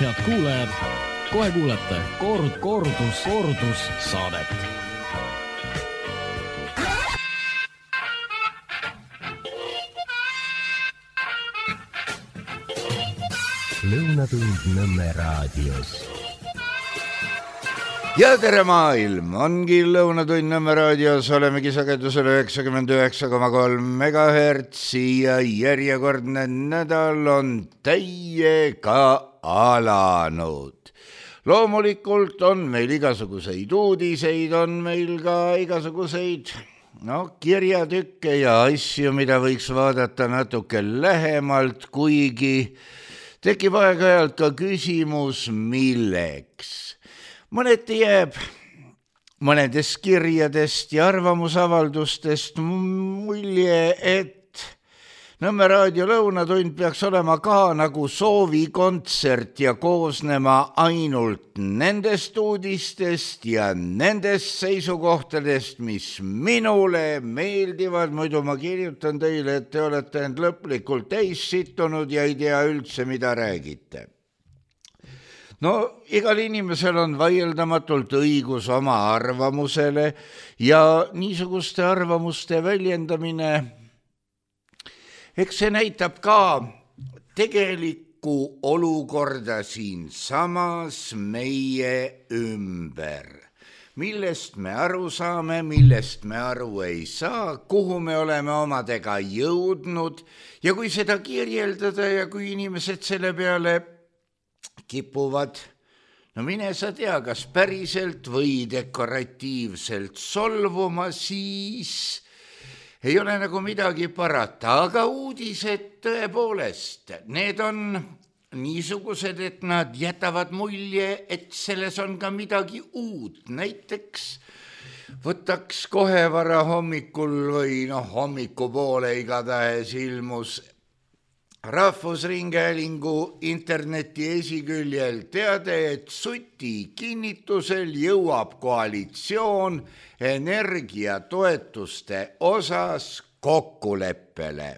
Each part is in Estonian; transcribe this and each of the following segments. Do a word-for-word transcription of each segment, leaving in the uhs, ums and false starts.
head kuulajad, kohe kuulete kord, kordus, kordus saadet. Lõunatund Nõmme raadios. Ja tere maailm, ongi Lõunatund Nõmme raadios, olemegi sagedusel üheksakümmend üheksa koma kolm megahertsi ja järjekordne nädal on täiega alanud. Loomulikult on meil igasuguseid uudiseid, on meil ka igasuguseid no, kirjatükke ja asju, mida võiks vaadata natuke lähemalt, kuigi tekib aeg-ajalt ka küsimus, milleks. Mõneti jääb mõnedest kirjadest ja arvamusavaldustest mulje, et Nõmme raadio Lõunatund peaks olema ka nagu soovikontsert ja koosnema ainult nendest uudistest ja nendest seisukohtadest, mis minule meeldivad. Muidu ma kirjutan teile, et te olete end lõplikult täis sittunud ja ei tea üldse, mida räägite. No, igal inimesel on vaieldamatult õigus oma arvamusele ja niisuguste arvamuste väljendamine, eks see näitab ka tegelikku olukorda siin samas meie ümber. Millest me aru saame, millest me aru ei saa, kuhu me oleme omadega jõudnud ja kui seda kirjeldada ja kui inimesed selle peale kipuvad, no mine sa tea, kas päriselt või dekoratiivselt solvuma, siis ei ole nagu midagi parata, aga uudised tõepoolest, need on niisugused, et nad jätavad mulje, et selles on ka midagi uut. Näiteks võtaks kohe vara hommikul või noh, hommikupoole igatahes ilmus Rahvusringhäälingu interneti esiküljel teade, et Suti kinnitusel jõuab koalitsioon energiatoetuste osas kokkuleppele.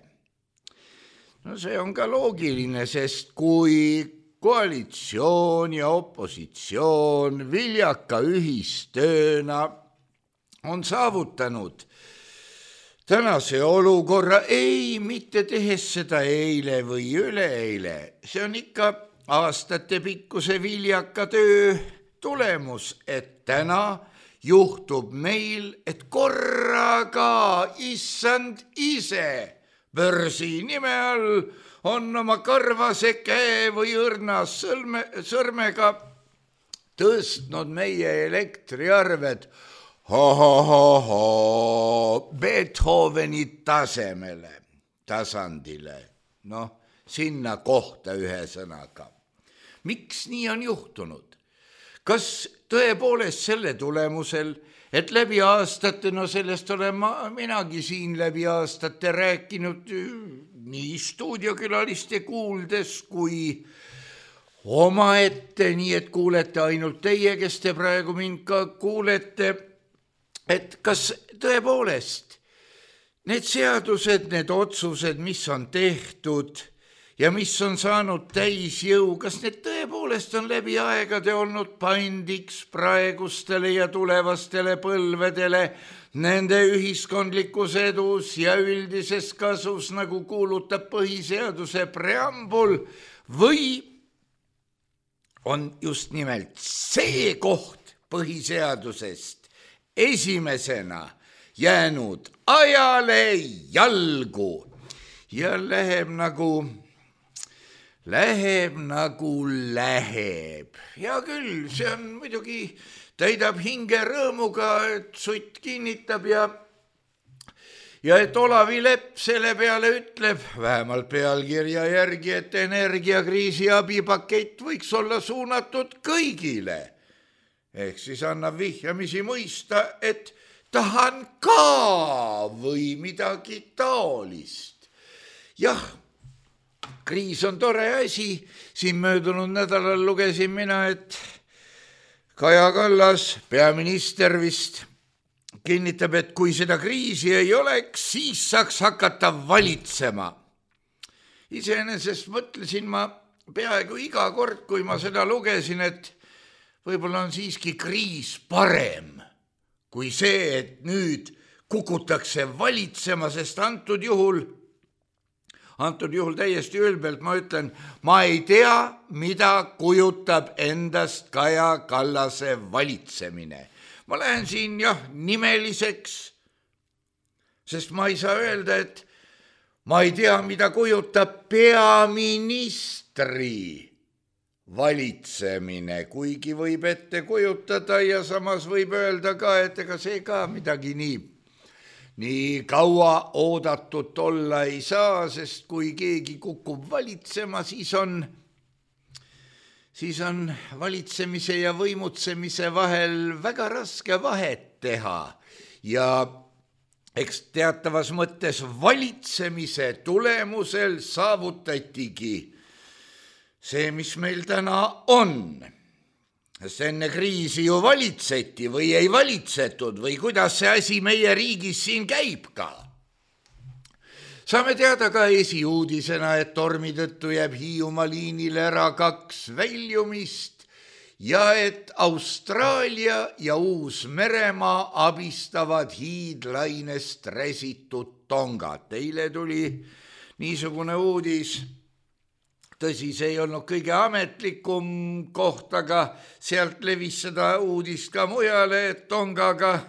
No see on ka loogiline, sest kui koalitsioon ja opositsioon viljaka ühistööna on saavutanud tänase olukorra, ei, mitte tehes seda eile või üleeile. See on ikka aastate pikkuse viljaka töö tulemus, et täna juhtub meil, et korraga issand ise börsi nime all on oma karvase käe või õrna sõrme, sõrmega tõstnud meie elektriarved ho-ho-ho-ho Beethoveni tasemele, tasandile, noh, sinna kohta ühe sõnaga. Miks nii on juhtunud? Kas tõepoolest selle tulemusel, et läbi aastate, no sellest olen ma, minagi siin läbi aastate rääkinud nii stuudiokülaliste kuuldes kui omaette, nii et kuulete ainult teie, kes te praegu mind ka kuulete, et kas tõepoolest need seadused, need otsused, mis on tehtud ja mis on saanud täisjõu, kas need tõepoolest on läbi aegade olnud pandiks praegustele ja tulevastele põlvedele nende ühiskondlikus edus ja üldises kasus, nagu kuulutab põhiseaduse preambul, või on just nimelt see koht põhiseadusest esimesena jäänud ajale jalgu ja läheb nagu, läheb nagu läheb. Ja küll, see on muidugi, täidab hinge rõõmuga, et Sutt kinnitab ja, ja et Olavi Lepp selle peale ütleb, vähemalt pealkirja järgi, et energiakriisi abipakett võiks olla suunatud kõigile. Ehk siis annab vihjamisi mõista, et tahan ka või midagi taolist. Jah, kriis on tore asi. Siin möödunud nädalal lugesin mina, et Kaja Kallas, peaminister vist, kinnitab, et kui seda kriisi ei oleks, siis saaks hakata valitsema. Iseenesest mõtlesin ma peaaegu iga kord, kui ma seda lugesin, et võib-olla on siiski kriis parem kui see, et nüüd kukutakse valitsema, sest antud juhul, antud juhul täiesti ülbelt ma ütlen, ma ei tea, mida kujutab endast Kaja Kallase valitsemine. Ma lähen siin jah nimeliseks, sest ma ei saa öelda, et ma ei tea, mida kujutab peaministri valitsemine, kuigi võib ette kujutada ja samas võib öelda ka, et ega see ka midagi nii, nii kaua oodatud olla ei saa, sest kui keegi kukub valitsema, siis on, siis on valitsemise ja võimutsemise vahel väga raske vahet teha ja eks teatavas mõttes valitsemise tulemusel saavutatigi see, mis meil täna on. Sest enne kriisi ju valitseti või ei valitsetud või kuidas see asi meie riigis siin käib ka. Saame teada ka esiuudisena, et tormi tõttu jääb Hiiumaa liinile ära kaks väljumist ja et Austraalia ja Uus-Meremaa abistavad hiidlainest räsitud Tongat. Eile tuli niisugune uudis. Tõsi, see ei olnud kõige ametlikum koht, aga sealt levis seda uudist ka mujale, et Tongaga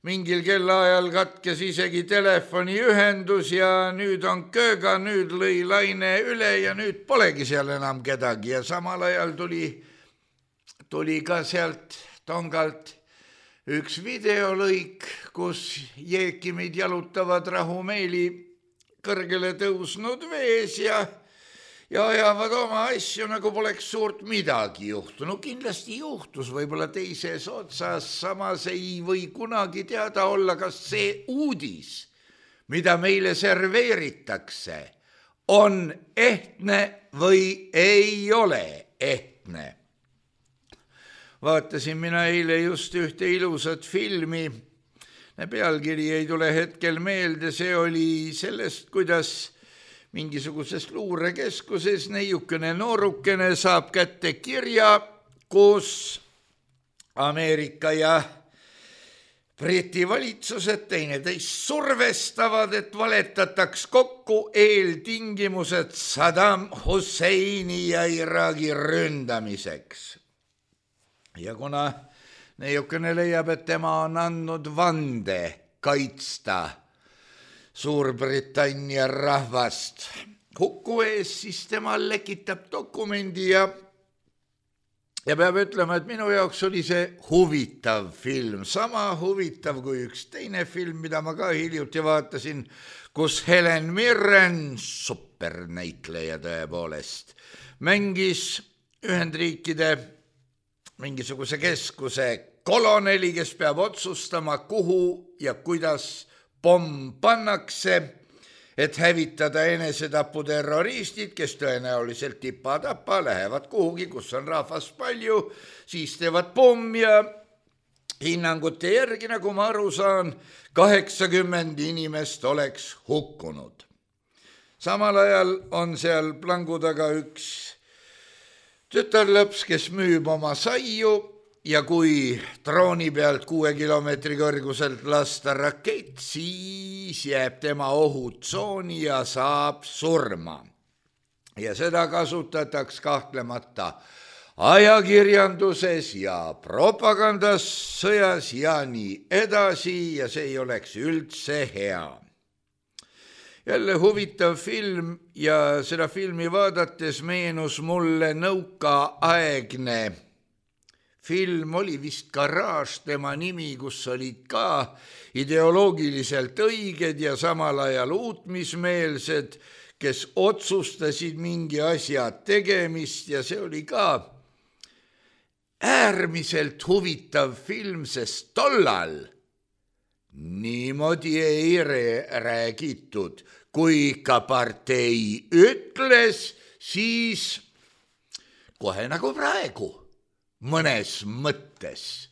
mingil kellaajal katkes isegi telefoniühendus ja nüüd on kööga, nüüd lõi laine üle ja nüüd polegi seal enam kedagi ja samal ajal tuli, tuli ka sealt Tongalt üks videolõik, kus jeekimid jalutavad rahumeeli kõrgele tõusnud vees ja ja ajavad oma asju, nagu poleks suurt midagi juhtunud. Kindlasti juhtus võib-olla teises otsas, samas ei või kunagi teada olla, kas see uudis, mida meile serveeritakse, on ehtne või ei ole ehtne. Vaatasin mina eile just ühte ilusat filmi, pealkiri ei tule hetkel meelde, see oli sellest, kuidas mingisuguses luurekeskuses neiukene noorukene saab kätte kirja, kus Ameerika ja Briti valitsused teineteist survestavad, et valetataks kokku eeltingimused Saddam Husseini ja Iraagi ründamiseks. Ja kuna neiukene leiab, et tema on andnud vande kaitsta Suurbritannia rahvast hukku ees, siis tema lekitab dokumendi ja, ja peab ütlema, et minu jaoks oli see huvitav film, sama huvitav kui üks teine film, mida ma ka hiljuti vaatasin, kus Helen Mirren, supernäitleja tõepoolest, mängis Ühendriikide mingisuguse keskuse koloneli, kes peab otsustama, kuhu ja kuidas pomm pannakse, et hävitada enesetaputerroristid, kes tõenäoliselt tipa-tapa lähevad kuhugi, kus on rahvast palju, siis teevad pomm ja hinnangute järgi, nagu ma aru saan, kaheksakümmend inimest oleks hukkunud. Samal ajal on seal plangu taga üks tütarlõps, kes müüb oma saiu, ja kui drooni pealt kuue kilomeetri kõrguselt lasta rakett, siis jääb tema ohutsooni ja saab surma. Ja seda kasutatakse kahtlemata ajakirjanduses ja propagandas, sõjas ja nii edasi ja see ei oleks üldse hea. Jälle huvitav film ja seda filmi vaadates meenus mulle nõukaaegne film, oli vist Garage tema nimi, kus olid ka ideoloogiliselt õiged ja samal ajal uutmismeelsed, kes otsustasid mingi asja tegemist ja see oli ka äärmiselt huvitav film, sest tollal niimoodi ei räägitud. Kui ka partei ütles, siis kohe nagu praegu. Mõnes mõttes.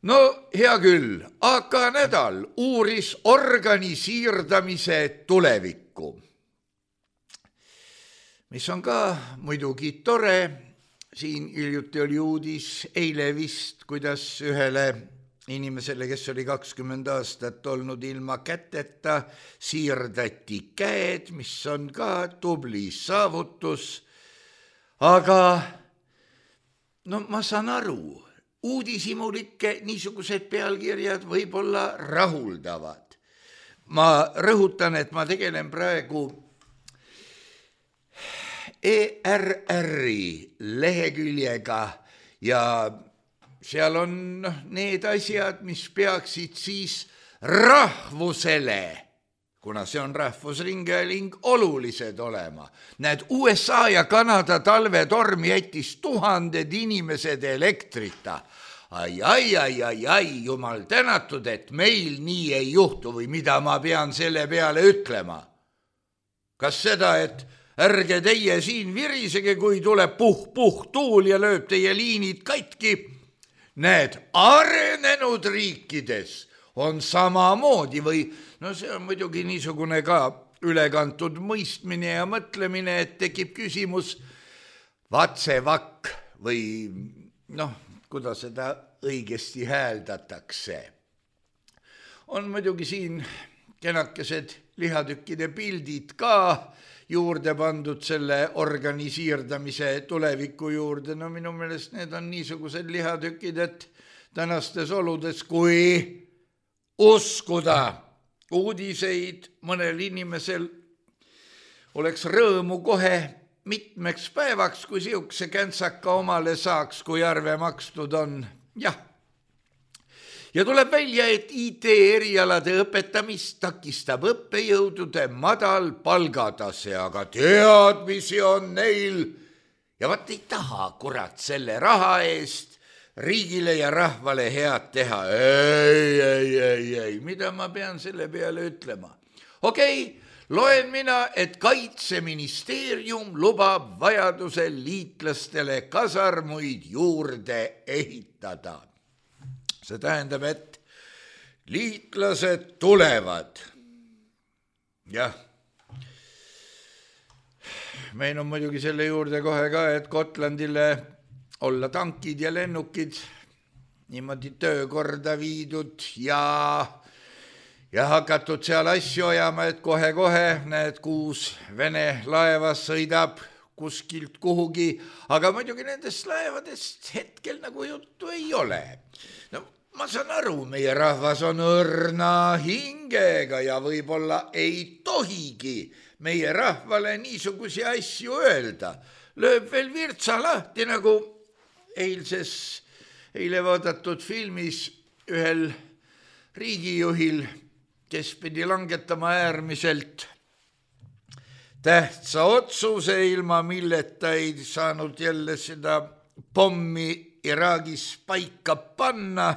No hea küll, A K nädal uuris organisiirdamise tulevikku. mis on ka muidugi tore. Siin hiljuti oli uudis, eile vist, kuidas ühele inimesele, kes oli kakskümmend aastat olnud ilma käteta, siirdati käed, mis on ka tubli saavutus. Aga no ma saan aru, uudishimulikke niisugused pealkirjad võib-olla rahuldavad. Ma rõhutan, et ma tegelen praegu E R R-i leheküljega ja seal on need asjad, mis peaksid siis rahvusele, kuna see on rahvusringhääling, olulised olema. Näed, U S A ja Kanada talvetorm jättis tuhanded inimesed elektrita. Ai, ai, ai, ai, ai, jumal tänatud, et meil nii ei juhtu või mida ma pean selle peale ütlema. Kas seda, et ärge teie siin virisege, kui tuleb puh-puh tuul ja lööb teie liinid katki. Need arenenud riikides on samamoodi või, no see on muidugi niisugune ka ülekantud mõistmine ja mõtlemine, et tekib küsimus vatsevakk või noh, kuidas seda õigesti hääldatakse. On muidugi siin kenakesed lihatükkide pildid ka juurde pandud selle organisiirdamise tuleviku juurde. No minu meelest need on niisugused lihatükid, et tänastes oludes, kui uskuda uudiseid, mõnel inimesel oleks rõõmu kohe mitmeks päevaks, kui siukse käntsaka omale saaks, kui arve makstud on. Jah. Ja tuleb välja, et I T erialade õpetamist takistab õppejõudude madal palgatase, aga teadmisi on neil ja vaat ei taha kurat selle raha eest riigile ja rahvale head teha. Ei, ei, ei, ei, mida ma pean selle peale ütlema? Okei, loen mina, et Kaitseministeerium lubab vajadusel liitlastele kasarmuid juurde ehitada. See tähendab, et liitlased tulevad. Jah. Meil on muidugi selle juurde kohe ka, et Gotlandile olla tankid ja lennukid niimoodi töökorda viidud ja, ja hakatud seal asju ajama, et kohe-kohe need kuus Vene laeva sõidab kuskilt kuhugi, aga muidugi nendest laevadest hetkel nagu juttu ei ole. No, ma saan aru, meie rahvas on õrna hingega ja võib-olla ei tohigi meie rahvale niisugusi asju öelda. Lööb veel virtsa lahti, nagu eilses, eile vaadatud filmis ühel riigijuhil, kes pidi langetama äärmiselt tähtsa otsuse, ilma milleta ei saanud jälle seda pommi Iraagis paika panna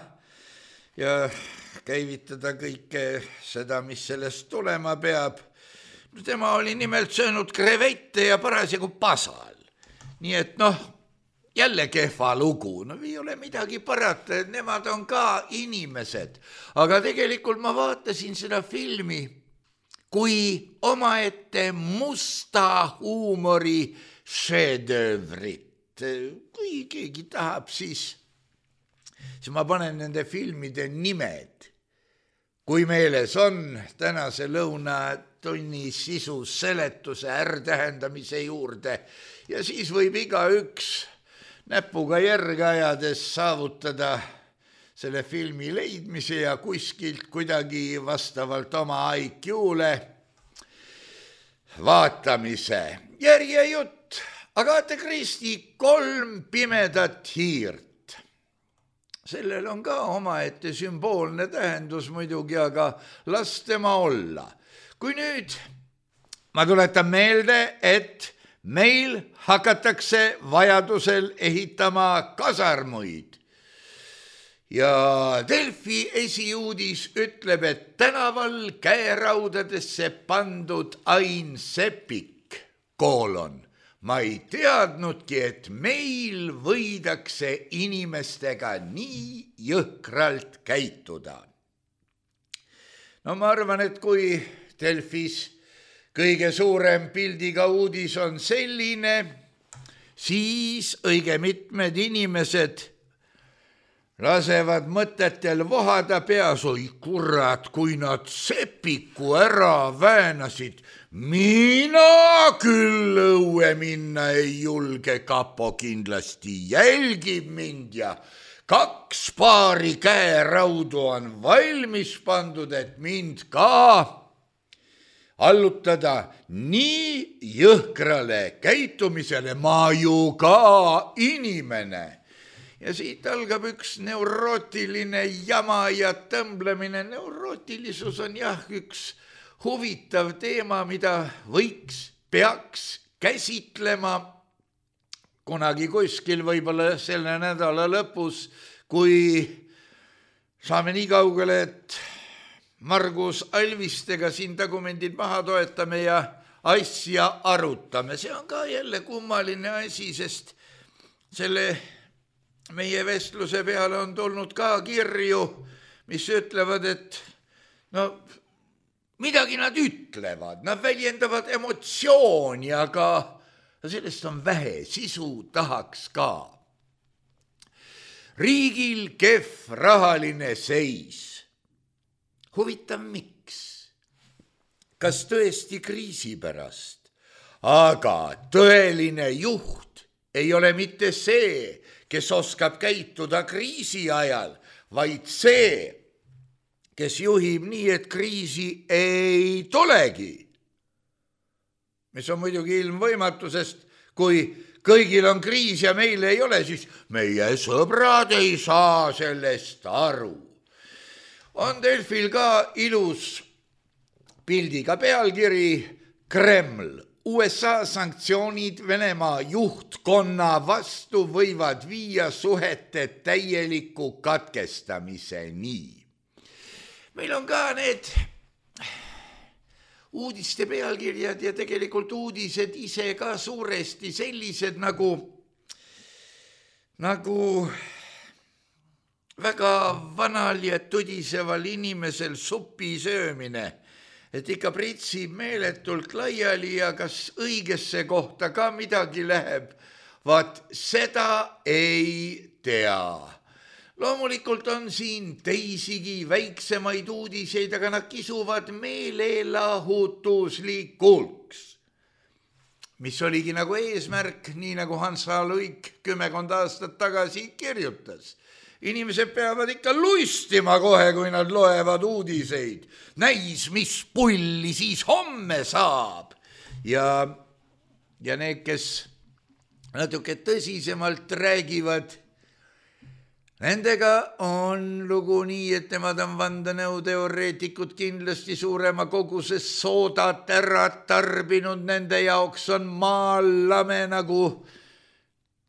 ja käivitada kõike seda, mis sellest tulema peab. Tema oli nimelt söönud krevette ja parasjagu pasal. Nii et noh, jälle kehva lugu. No ei ole midagi parata, et nemad on ka inimesed. Aga tegelikult ma vaatasin seda filmi kui omaette musta huumori šedevrit. Kui keegi tahab, siis, siis ma panen nende filmide nimed. Kui meeles on tänase lõunatunni sisu seletuse ärtähendamise juurde ja siis võib iga üks näpuga järge ajades saavutada selle filmi leidmise ja kuskilt kuidagi vastavalt oma I Q-le vaatamise. Järjejutt. Agatha Christie kolm pimedat hiirt. Sellel on ka omaette sümboolne tähendus muidugi, aga las tema olla. Kui nüüd, ma tuletan meelde, et meil hakatakse vajadusel ehitama kasarmuid. Ja Delfi esiuudis ütleb, et tänaval käeraudadesse pandud Ain Seppik, koolon. Ma ei teadnudki, et meil võidakse inimestega nii jõhkralt käituda. No ma arvan, et kui Delfis kõige suurem pildiga uudis on selline, siis õige mitmed inimesed lasevad mõtetel vohada peas, oi kurat, kui nad sepiku ära väänasid, mina küll õue minna ei julge, kapo kindlasti jälgib mind ja kaks paari käeraudu on valmis pandud, et mind ka allutada nii jõhkrale käitumisele, ma ju ka inimene. Ja siit algab üks neurootiline jama ja tõmblemine. Neurootilisus on jah üks huvitav teema, mida võiks, peaks käsitlema kunagi kuskil, võib-olla selle nädala lõpus, kui saame nii kaugele, et Margus Alvistega siin tagumendid maha toetame ja asja arutame. See on ka jälle kummaline asi, sest selle meie vestluse peale on tulnud ka kirju, mis ütlevad, et no midagi nad ütlevad, nad väljendavad emotsiooni, aga sellest on vähe, sisu tahaks ka. Riigil kehv rahaline seis. Huvitav miks? Kas tõesti kriisi pärast? Aga tõeline juht ei ole mitte see, kes oskab käituda kriisi ajal, vaid see, kes juhib nii, et kriisi ei tulegi. Mis on muidugi ilmvõimatu, sest kui kõigil on kriis ja meil ei ole, siis meie sõbrad ei saa sellest aru. On Delfil ka ilus pildiga pealkiri Kreml. U S A sanktsioonid Venemaa juhtkonna vastu võivad viia suhete täieliku katkestamiseni. Meil on ka need uudiste pealkirjad ja tegelikult uudised ise ka suuresti sellised nagu, nagu väga vanal ja tudiseval inimesel supi söömine, et ikka pritsib meeletult laiali ja kas õigesse kohta ka midagi läheb, vaat seda ei tea. Loomulikult on siin teisigi väiksemaid uudiseid, aga nad kisuvad meelelahutuslikulks. Mis oligi nagu eesmärk, nii nagu Hans H. Luik kümmekond aastat tagasi kirjutas. Inimesed peavad ikka luistima kohe, kui nad loevad uudiseid. Näis, mis pulli siis homme saab. Ja, ja need, kes natuke tõsisemalt räägivad, nendega on lugu nii, et nemad on vandenõuteoreetikud kindlasti suurema koguses soodat ära tarbinud. Nende jaoks on maal lame nagu,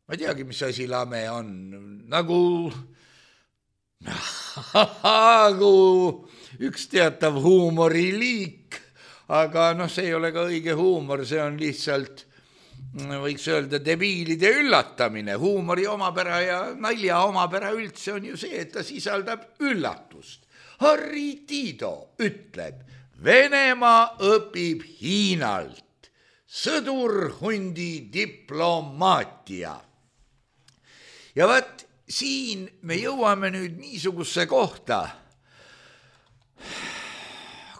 ma ei teagi, mis asi lame on, nagu... nagu üks teatav huumoriliik, aga noh, see ei ole ka õige huumor, see on lihtsalt, võiks öelda, debiilide üllatamine. Huumori omapära ja nalja omapära üldse on ju see, et ta sisaldab üllatust. Harri Tiido ütleb, Venemaa õpib Hiinalt, sõdurhundi diplomaatia. Ja vaat, siin me jõuame nüüd niisuguse kohta,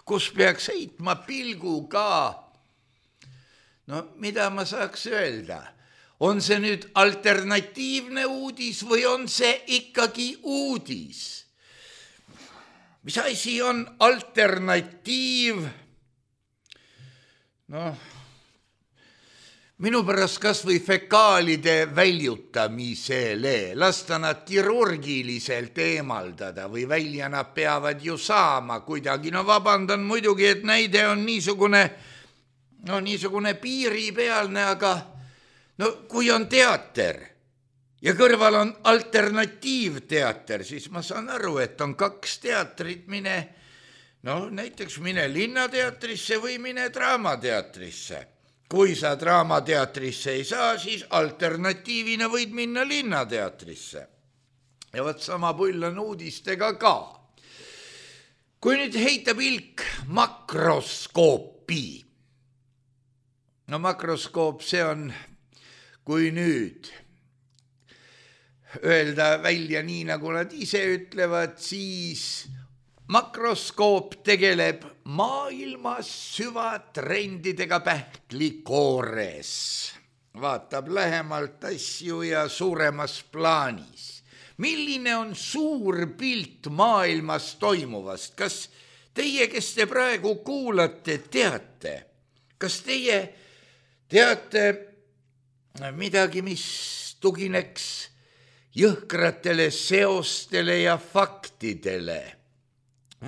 kus peaks heitma pilgu ka, no mida ma saaks öelda, on see nüüd alternatiivne uudis või on see ikkagi uudis? Mis asi on alternatiiv? Noh, minu pärast kas või fekaalide väljutamisele, lasta nad kirurgiliselt eemaldada või välja nad peavad ju saama kuidagi. No vabandan muidugi, et näide on niisugune, no niisugune piiripealne, aga no kui on teater ja kõrval on alternatiivteater, siis ma saan aru, et on kaks teatrit, mine, no näiteks mine linnateatrisse või mine draamateatrisse. Kui sa draamateatrisse ei saa, siis alternatiivina võid minna linnateatrisse. Ja võt sama pull on uudistega ka. Kui nüüd heita pilk makroskoopi, no makroskoop, see on, kui nüüd öelda välja nii, nagu nad ise ütlevad, siis makroskoop tegeleb maailmas süvatrendidega pähklikoores. Vaatab lähemalt asju ja suuremas plaanis. Milline on suur pilt maailmas toimuvast? Kas teie, kes te praegu kuulate, teate? Kas teie teate midagi, mis tugineks jõhkratele seostele ja faktidele?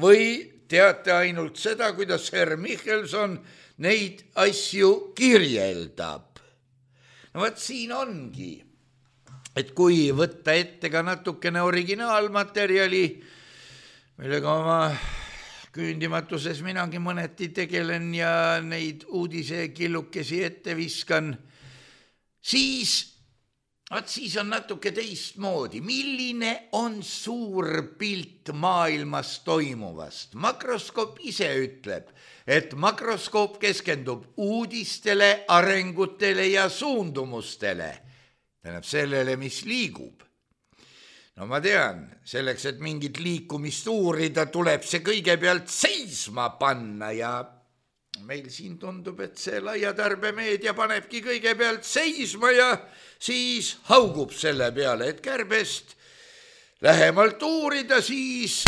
Või teate ainult seda, kuidas Herr Michelson neid asju kirjeldab? No võt siin ongi, et kui võtta ette ka natukene originaalmaterjali, millega oma küündimatuses minagi mõneti tegelen ja neid uudisekillukesi ette viskan, siis Vaat siis on natuke teistmoodi. Milline on suur pilt maailmas toimuvast? Makroskoop ise ütleb, et makroskoop keskendub uudistele, arengutele ja suundumustele. Tähendab sellele, mis liigub. No ma tean, selleks, et mingit liikumist uurida, tuleb see kõigepealt seisma panna ja meil siin tundub, et see laiatarbemeedia panebki kõigepealt seisma ja siis haugub selle peale, et kärbest lähemalt uurida siis.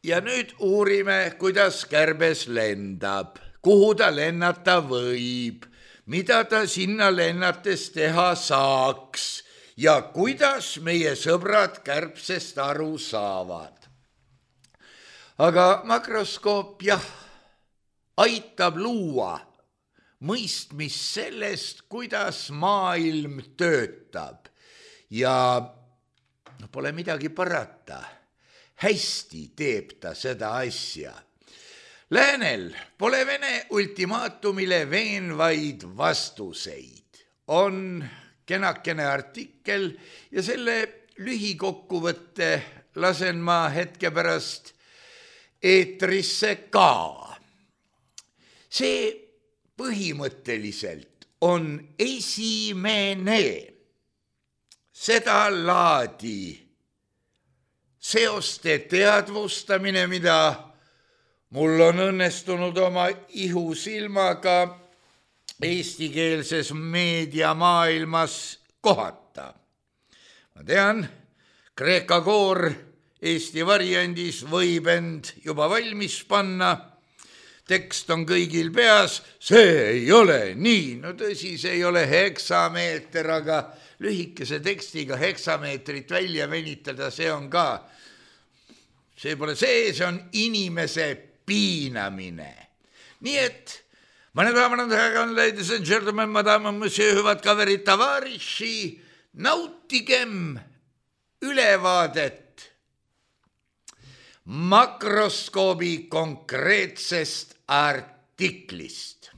Ja nüüd uurime, kuidas kärbes lendab, kuhu ta lennata võib, mida ta sinna lennates teha saaks ja kuidas meie sõbrad kärbsest aru saavad. Aga makroskoop, jah, aitab luua mõistmist sellest, kuidas maailm töötab ja no, pole midagi parata. Hästi teeb ta seda asja. Läänel pole Vene ultimaatumile veenvaid vastuseid. On kenakene artikkel ja selle lühikokkuvõtte lasen ma hetke pärast eetrisse ka. See põhimõtteliselt on esimene seda laadi seoste teadvustamine, mida mul on õnnestunud oma ihusilmaga eestikeelses meediamaailmas kohata. Ma tean, Kreeka koor Eesti variandis võib end juba valmis panna. Tekst on kõigil peas, see ei ole nii. No tõsi, see ei ole heksameeter, aga lühikese tekstiga heksameetrit välja venitada, see on ka, see pole see, see on inimese piinamine. Nii et, meine Damen und Herren, ladies and gentlemen, madame, monsieur, hüvad kaverid, tavariši, nautigem ülevaadet makroskoobi konkreetsest artiklist.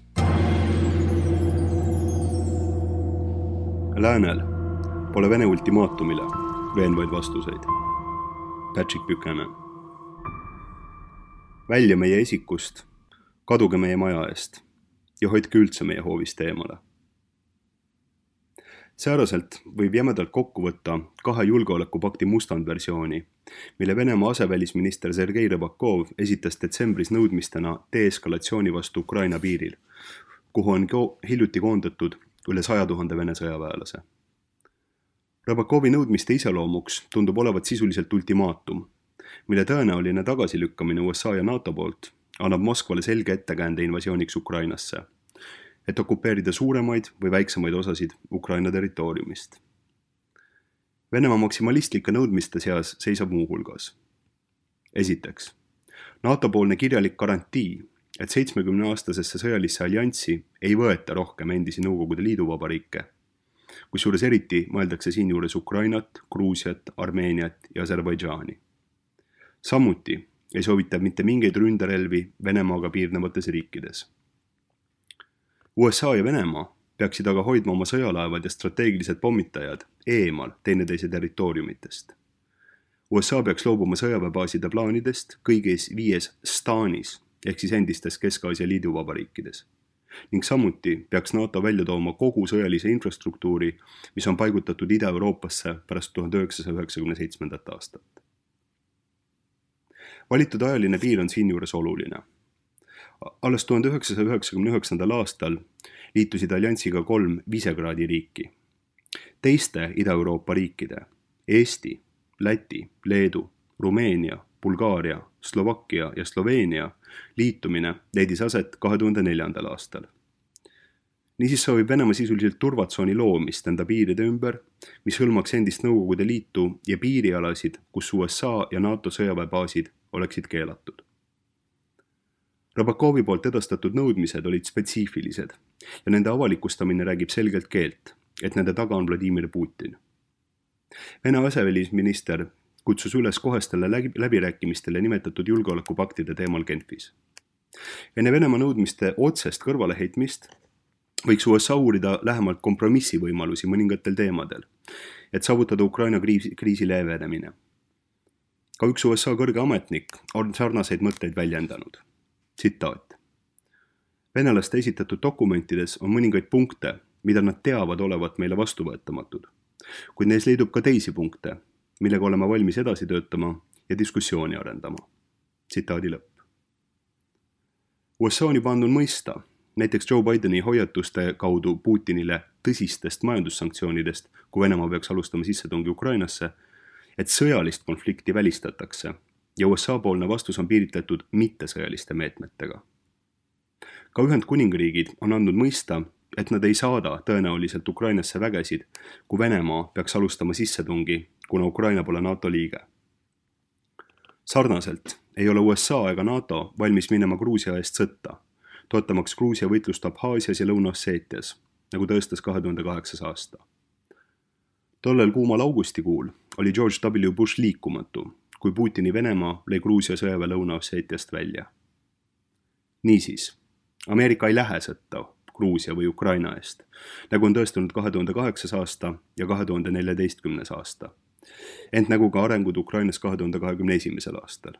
Läänel pole Vene ultimaatumile veenvaid vastuseid. Patrick Buchanan. Välja meie esikust, kaduge meie maja eest ja hoidke üldse meie hoovist eemale. Sääraselt võib jämedalt kokku võtta kahe julgeolekupakti mustandversiooni, mille Venemaa asevälisminister Sergei Rybakov esitas detsembris nõudmistena deeskalatsiooni vastu Ukraina piiril, kuhu on hiljuti koondatud üle saja tuhande Vene sõjaväelase. Rybakovi nõudmiste iseloomuks tundub olevat sisuliselt ultimaatum, mille tõenäoline tagasilükkamine U S A ja NATO poolt annab Moskvale selge ettekäände invasiooniks Ukrainasse, et okupeerida suuremaid või väiksemaid osasid Ukraina territooriumist. Venemaa maksimalistlikke nõudmiste seas seisab muu hulgas. Esiteks, NATO-poolne kirjalik garantii, et seitsmekümneaastasesse sõjalisse allianssi ei võeta rohkem endisi Nõukogude Liiduvabariike, kusjuures eriti mõeldakse siinjuures Ukrainat, Gruusiat, Armeeniat ja Aserbaidžaani. Samuti ei soovita mitte mingeid ründerelvi Venemaaga piirnevates riikides. U S A ja Venemaa peaksid aga hoidma oma sõjalaevad ja strateegilised pommitajad eemal teineteise territooriumitest. U S A peaks loobuma sõjaväebaaside plaanidest kõigis viies staanis ehk siis endistes Kesk-Aasia liiduvabariikides ning samuti peaks NATO välja tooma kogu sõjalise infrastruktuuri, mis on paigutatud Ida-Euroopasse pärast tuhande üheksasaja üheksakümne seitsmendat aastat. Valitud ajaline piir on siinjuures oluline. Alles tuhande üheksasaja üheksakümne üheksandal aastal liitusid alliansiga kolm Visegradi riiki. Teiste Ida-Euroopa riikide Eesti, Läti, Leedu, Rumeenia, Bulgaaria, Slovakkia ja Sloveenia liitumine leidis aset kahe tuhande neljandal aastal. Niisiis soovib Venemaa sisuliselt turvatsooni loomist enda piiride ümber, mis hõlmaks endist Nõukogude Liitu ja piirialasid, kus U S A ja NATO sõjaväebaasid oleksid keelatud. Rabakovi poolt edastatud nõudmised olid spetsiifilised ja nende avalikustamine räägib selgelt keelt, et nende taga on Vladimir Putin. Vene asevälisminister kutsus üles kohestele läbirääkimistele nimetatud julgeolekupaktide teemal Genfis. Enne Venemaa nõudmiste otsest kõrvaleheitmist võiks U S A uurida lähemalt kompromissi võimalusi mõningatel teemadel, et saavutada Ukraina kriisi, kriisi leevenemine. Ka üks U S A kõrge ametnik on sarnaseid mõtteid väljendanud. Tsitaat. Venelaste esitatud dokumentides on mõningaid punkte, mida nad teavad olevat meile vastuvõetamatud, kuid neis leidub ka teisi punkte, millega oleme valmis edasi töötama ja diskussiooni arendama. Tsitaadi lõpp. U S A on juba andnud mõista, näiteks Joe Bideni hoiatuste kaudu Putinile tõsistest majandussanktsioonidest, kui Venemaa peaks alustama sissetungi Ukrainasse, et sõjalist konflikti välistatakse ja U S A poolne vastus on piiritletud mittesõjaliste meetmetega. Ka Ühendkuningriigid on andnud mõista, et nad ei saada tõenäoliselt Ukrainasse vägesid, kui Venemaa peaks alustama sissetungi, kuna Ukraina pole NATO liige. Sarnaselt ei ole U S A ega NATO valmis minema Gruusia eest sõtta, toetamaks Gruusia võitlust Abhaasias ja Lõuna-Osseetias, nagu tõestas kahe tuhande kaheksas aasta. Tollel kuumal augustikuul oli George W. Bush liikumatu, kui Putini Venemaa lõi Gruusia sõjaväe Lõuna-Osseetiast välja. Niisiis, Ameerika ei lähe sõtta Gruusia või Ukraina eest, nagu on tõestanud kahe tuhande kaheksas aasta ja kahe tuhande neljateistkümnes aasta, ent nagu ka arengud Ukrainas kahe tuhande kahekümne esimesel aastal.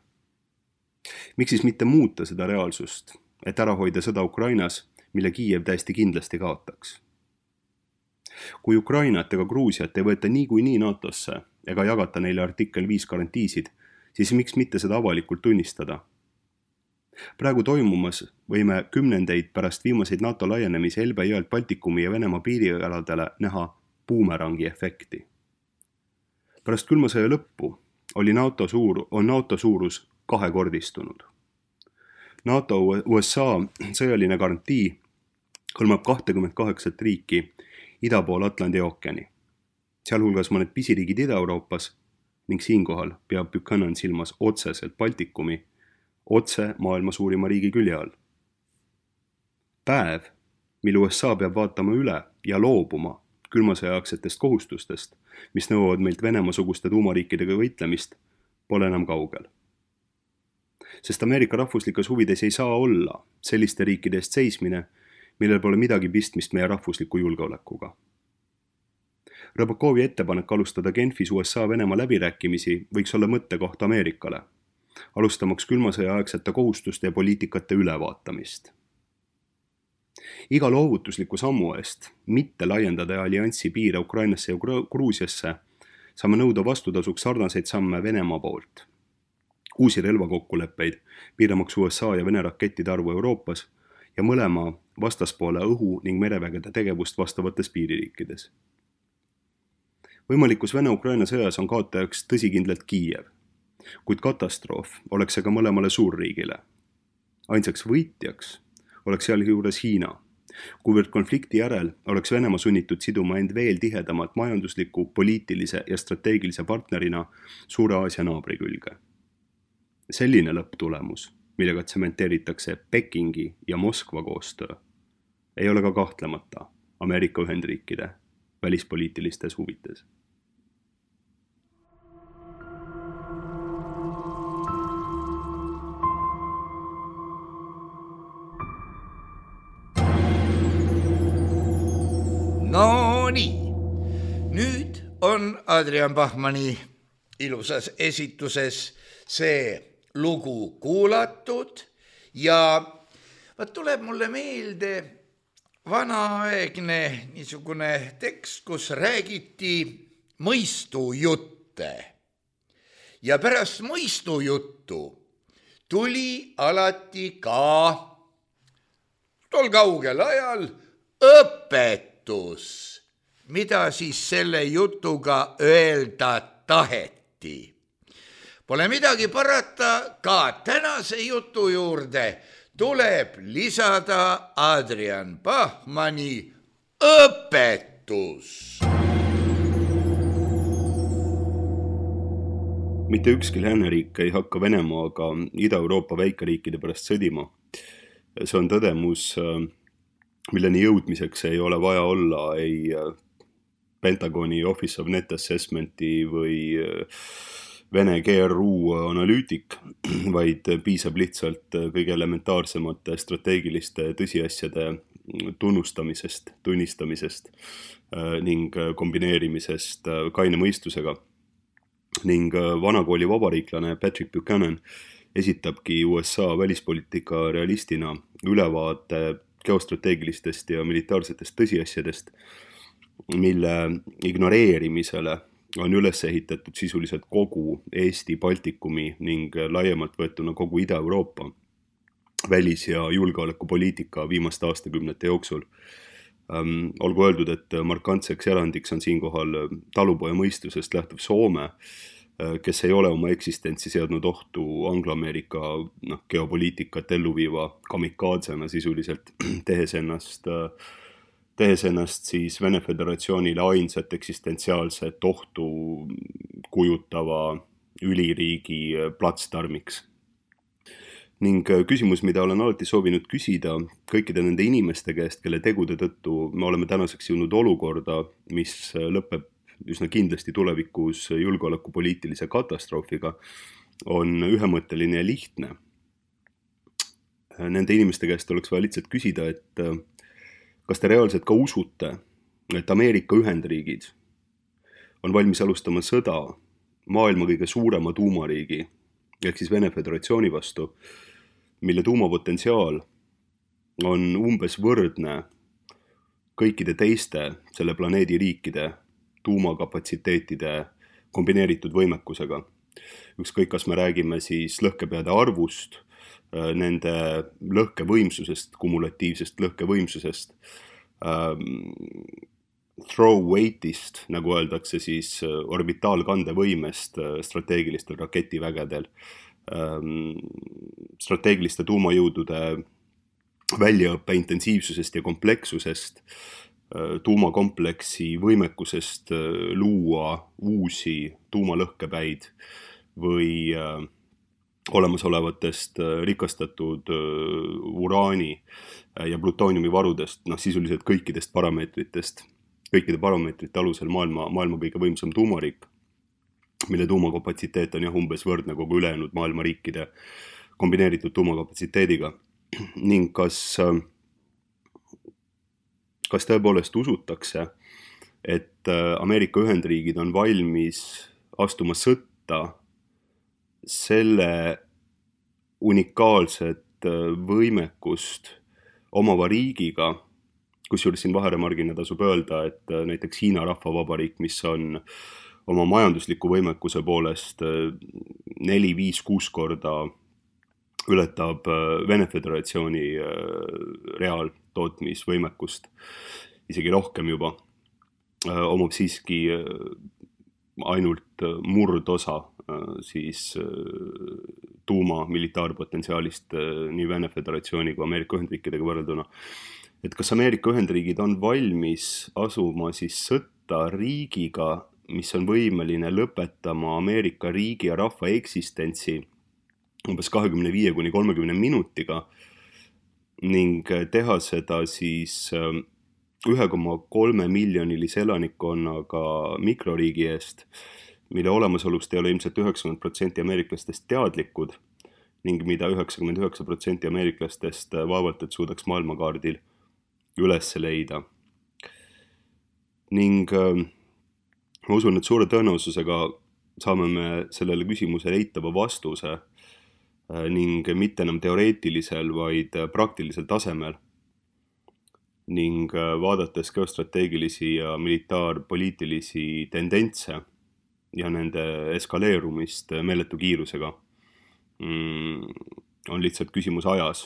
Miks siis mitte muuta seda reaalsust, et ära hoida sõda Ukrainas, mille Kiiev täiesti kindlasti kaotaks? Kui Ukrainat ega Gruusiat ei võeta niikuinii NATOsse ega jagata neile artikkel viis garantiisid, siis miks mitte seda avalikult tunnistada? Praegu toimumas võime kümnendeid pärast viimaseid NATO laienemise Elbe jõelt Baltikumi ja Venemaa piirialadele näha buumerangi efekti. Pärast külma sõja lõppu oli NATO suur, on NATO suurus kahekordistunud. NATO U S A sõjaline garantii hõlmab kakskümmend kaheksa riiki ida pool Atlandi ookeani, sealhulgas mõned pisiriigid Ida-Euroopas ning siinkohal peab Buchanan silmas otseselt Baltikumi, otse maailma suurima riigi külje all. Päev, mil U S A peab vaatama üle ja loobuma külmasõjaaksetest kohustustest, mis nõuavad meilt Venemaa-suguste tuumariikidega võitlemist, pole enam kaugel. Sest Ameerika rahvuslikes huvides ei saa olla selliste riikide eest seismine, millel pole midagi pistmist meie rahvusliku julgeolekuga. Rabakovi ettepanek alustada Genfis U S A Venemaa läbirääkimisi võiks olla mõttekoht Ameerikale, alustamaks külmasõja aegsete kohustuste ja poliitikate ülevaatamist. Iga loovutusliku sammu eest mitte laiendada allianssi piire Ukrainasse ja Gruusiasse saame nõuda vastutasuks sarnaseid samme Venemaa poolt. Uusi relvakokkuleppeid piiramaks U S A ja Vene rakettide arvu Euroopas ja mõlema vastaspoole õhu- ning merevägede tegevust vastavates piiririikides. Võimalikus Vene-Ukraina sõjas on kaotajaks tõsikindlalt Kiiev, kuid katastroof oleks see ka mõlemale suurriigile. Ainsaks võitjaks oleks sealjuures Hiina, kuivõrd konflikti järel oleks Venemaa sunnitud siduma end veel tihedamalt majandusliku, poliitilise ja strateegilise partnerina Suure Aasia naabri külge. Selline lõpptulemus, millega tsementeeritakse Pekingi ja Moskva koostöö, ei ole ka kahtlemata Ameerika Ühendriikide välispoliitilistes huvides. No nii, nüüd on Adrian Bachmanni ilusas esituses see lugu kuulatud ja vaat tuleb mulle meelde vanaaegne niisugune tekst, kus räägiti mõistujutte. Ja pärast mõistujuttu tuli alati ka tol kaugel ajal õpetus, mida siis selle jutuga öelda taheti. Pole midagi parata, ka tänase jutu juurde tuleb lisada Adrian Bachmanni õpetus. Mitte ükski lääneriik ei hakka Venemaaga Ida-Euroopa väikeriikide pärast sõdima. See on tõdemus, milleni jõudmiseks ei ole vaja olla ei Pentagoni Office of Net Assessmenti või Vene G R U analüütik, vaid piisab lihtsalt kõige elementaarsemate strateegiliste tõsiasjade tunnustamisest, tunnistamisest ning kombineerimisest kaine mõistusega. Ning vanakooli vabariiklane Patrick Buchanan esitabki U S A välispoliitika realistina ülevaate geostrateegilistest ja militaarsetest tõsiasjadest, mille ignoreerimisele on üles ehitatud sisuliselt kogu Eesti, Baltikumi ning laiemalt võetuna kogu Ida-Euroopa välis- ja julgeolekupoliitika viimaste aastakümnete jooksul. Ähm, olgu öeldud, et markantseks erandiks on siinkohal talupoja mõistusest lähtuv Soome, kes ei ole oma eksistentsi seadnud ohtu Anglo-Ameerika noh, geopoliitikat elluviiva kamikaadsena sisuliselt, tehes ennast, tehes ennast siis Vene Föderatsioonile ainsat eksistentsiaalset ohtu kujutava üliriigi platsdarmiks. Ning küsimus, mida olen alati soovinud küsida kõikide nende inimeste käest, kelle tegude tõttu me oleme tänaseks jõudnud olukorda, mis lõpeb üsna kindlasti tulevikus julgeolekupoliitilise katastroofiga, on ühemõtteline ja lihtne. Nende inimeste käest oleks vaja lihtsalt küsida, et kas te reaalselt ka usute, et Ameerika Ühendriigid on valmis alustama sõda maailma kõige suurema tuumariigi, ehk siis Vene Föderatsiooni vastu, mille tuumapotentsiaal on umbes võrdne kõikide teiste selle planeedi riikide tuumakapatsiteetide kombineeritud võimekusega. Ükskõik, kas me räägime siis lõhkepeade arvust, nende lõhkevõimsusest, kumulatiivsest lõhkevõimsusest, throw weight'ist, nagu öeldakse siis orbitaalkandevõimest strateegilistel raketivägedel, strateegiliste tuumajõudude väljaõppe intensiivsusest ja komplekssusest, tuumakompleksi võimekusest luua uusi tuumalõhkepäid või olemasolevatest rikastatud uraani ja plutooniumi varudest, noh sisuliselt kõikidest parameetritest, kõikide parameetrite alusel maailma, maailma kõige võimsam tuumariik, mille tuumakapatsiteet on jah umbes võrdne kogu ülejäänud maailma riikide kombineeritud tuumakapatsiteediga. Ning kas, kas tõepoolest usutakse, et Ameerika Ühendriigid on valmis astuma sõtta selle unikaalset võimekust omava riigiga, kusjuures siin vaheremargina tasub öelda, et näiteks Hiina Rahvavabariik, mis on oma majandusliku võimekuse poolest neli, viis, kuus korda ületab Vene Föderatsiooni reaaltootmisvõimekust, isegi rohkem juba, omab siiski ainult murdosa siis tuuma militaarpotentsiaalist nii Vene Föderatsiooni kui Ameerika Ühendriikidega võrrelduna. Et kas Ameerika Ühendriigid on valmis asuma siis sõtta riigiga, mis on võimeline lõpetama Ameerika riigi ja rahva eksistentsi umbes kahekümne viie kuni kolmekümne minutiga ning teha seda siis ühe koma kolme miljonilise elanikkonnaga mikroriigi eest, mille olemasolust ei ole ilmselt üheksakümmend protsenti ameeriklastest teadlikud ning mida üheksakümmend üheksa protsenti ameeriklastest vaevalt, et suudaks maailmakaardil üles leida. Ning ma usun, et suure tõenäosusega saame me sellele küsimusele eitava vastuse ning mitte enam teoreetilisel, vaid praktilisel tasemel. ning vaadates geostrateegilisi ja militaarpoliitilisi tendentse ja nende eskaleerumist meeletu kiirusega, on lihtsalt küsimus ajas,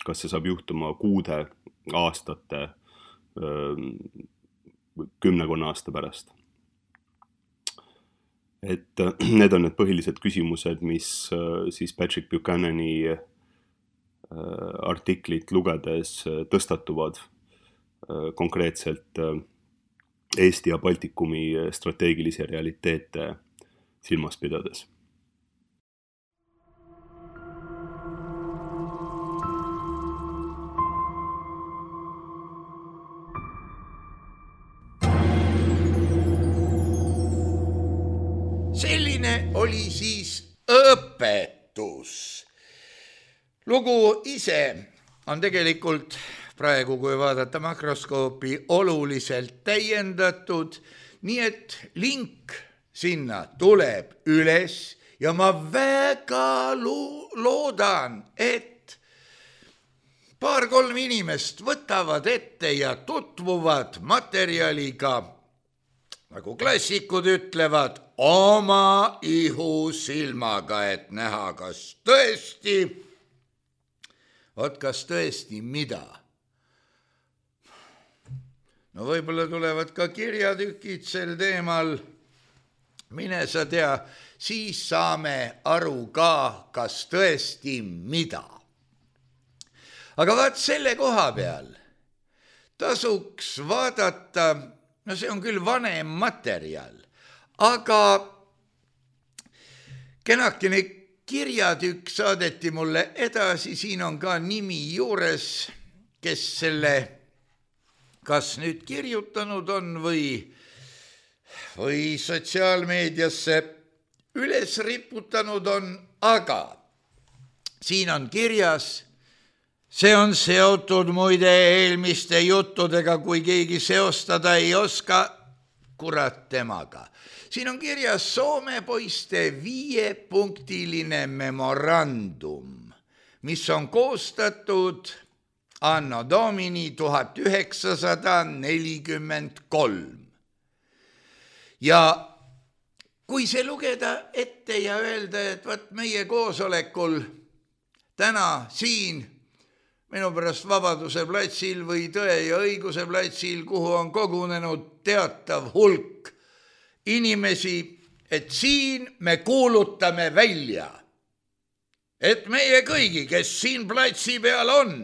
kas see saab juhtuma kuude, aastate, kümnekonna aasta pärast. Et need on need põhilised küsimused, mis siis Patrick Buchanani artiklit lugedes tõstatuvad konkreetselt Eesti ja Baltikumi strateegilisi realiteete silmas pidades. Selline oli siis õpetus. Lugu ise on tegelikult praegu, kui vaadata makroskoopi, oluliselt täiendatud, nii et link sinna tuleb üles ja ma väga lo- loodan, et paar-kolm inimest võtavad ette ja tutvuvad materjaliga, nagu klassikud ütlevad, oma ihusilmaga, et näha, kas tõesti, vot kas tõesti mida. No võib-olla tulevad ka kirjatükid sel teemal, mine sa tea, siis saame aru ka, kas tõesti mida. Aga vaat selle koha peal tasuks vaadata, no see on küll vanem materjal, aga kenakene kirjatükk saadeti mulle edasi, siin on ka nimi juures, kes selle kas nüüd kirjutanud on või, või sotsiaalmeediasse üles riputanud on, aga siin on kirjas, see on seotud muide eelmiste juttudega, kui keegi seostada ei oska, kurat temaga. Siin on kirjas Soome poiste viiepunktiline memorandum, mis on koostatud anno domini tuhat üheksasada nelikümmend kolm. Ja kui see lugeda ette ja öelda, et võt meie koosolekul täna siin minu pärast Vabaduse platsil või Tõe ja õiguse platsil, kuhu on kogunenud teatav hulk inimesi, et siin me kuulutame välja, et meie kõigi, kes siin platsi peal on,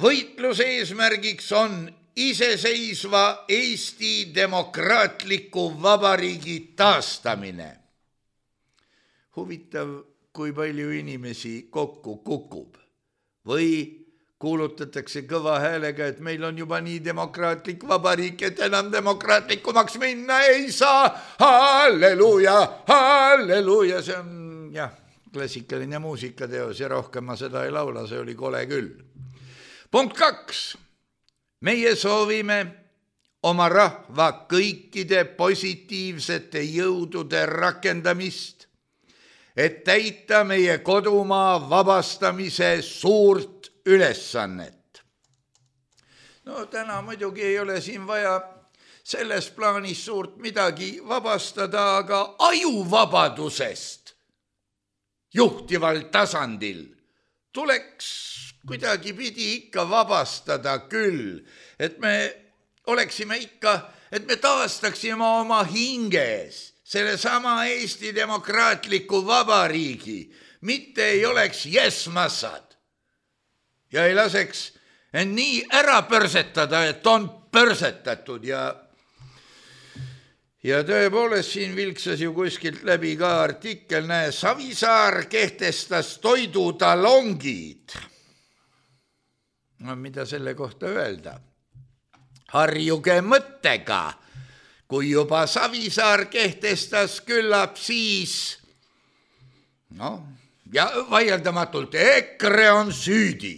võitluse eesmärgiks on iseseisva Eesti demokraatliku vabariigi taastamine. Huvitav, kui palju inimesi kokku kukub. Või kuulutatakse kõva häälega, et meil on juba nii demokraatlik vabariik, et enam demokraatlikumaks minna ei saa. Halleluuja, halleluuja, see on jah, klassikaline muusikateos ja rohkem ma seda ei laula, see oli kole küll. Punkt kaks. Meie soovime oma rahva kõikide positiivsete jõudude rakendamist, et täita meie kodumaa vabastamise suurt ülesannet. No täna muidugi ei ole siin vaja selles plaanis suurt midagi vabastada, aga ajuvabadusest juhtival tasandil tuleks kuidagi pidi ikka vabastada küll, et me oleksime ikka, et me taastaksime oma hinges selle sama Eesti demokraatliku vabariigi, mitte ei oleks jesmassad ja ei laseks end nii ära pörsetada, et on pörsetatud ja ja tõepoolest siin vilksas ju kuskilt läbi ka artikkel, näe, Savisaar kehtestas toidutalongid. No mida selle kohta öelda? Harjuge mõttega, kui juba Savisaar kehtestas, küllap siis, no, ja vaieldamatult EKRE on süüdi,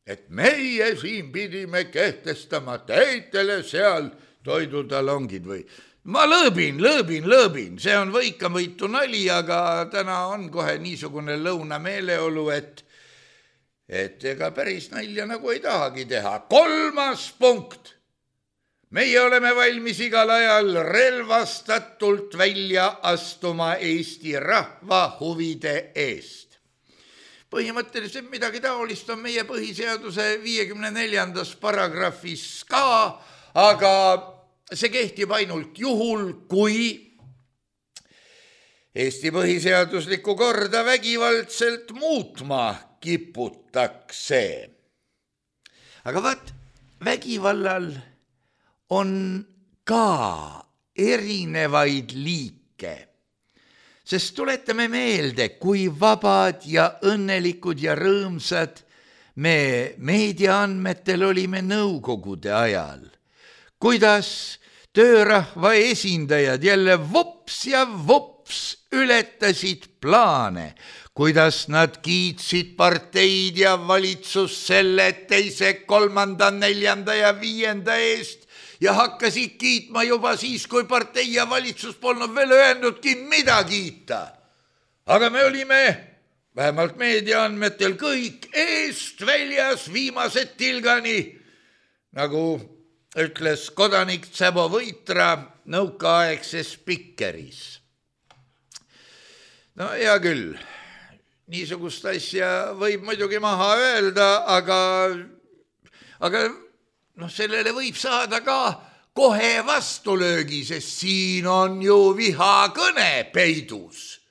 et meie siin pidime kehtestama teitele seal toidutalongid või ma lõõbin, lõõbin, lõõbin, see on võikamõitu nali, aga täna on kohe niisugune lõunameeleolu, et et ega päris nalja nagu ei tahagi teha. Kolmas punkt. Meie oleme valmis igal ajal relvastatult välja astuma Eesti rahva huvide eest. Põhimõtteliselt midagi taolist on meie põhiseaduse viiekümne neljandas paragrahvis ka, aga see kehtib ainult juhul, kui Eesti põhiseaduslikku korda vägivaldselt muutma kiputakse. Aga vaat, vägivallal on ka erinevaid liike, sest tuletame meelde, kui vabad ja õnnelikud ja rõõmsad me meediaandmetel olime nõukogude ajal, kuidas töörahva esindajad jälle vops ja vops ületasid plaane, kuidas nad kiitsid parteid ja valitsus selle teise, kolmanda, neljanda ja viienda eest ja hakkasid kiitma juba siis, kui partei ja valitsus polnud veel öelnudki, mida kiita. Aga me olime, vähemalt meediaandmetel, kõik eest väljas viimased tilgani, nagu ütles kodanik Tsebo Võitra nõukaaegses Spikeris. No hea küll, niisugust asja võib muidugi maha öelda, aga, aga noh, sellele võib saada ka kohe vastulöögi, sest siin on ju vihakõne peidus.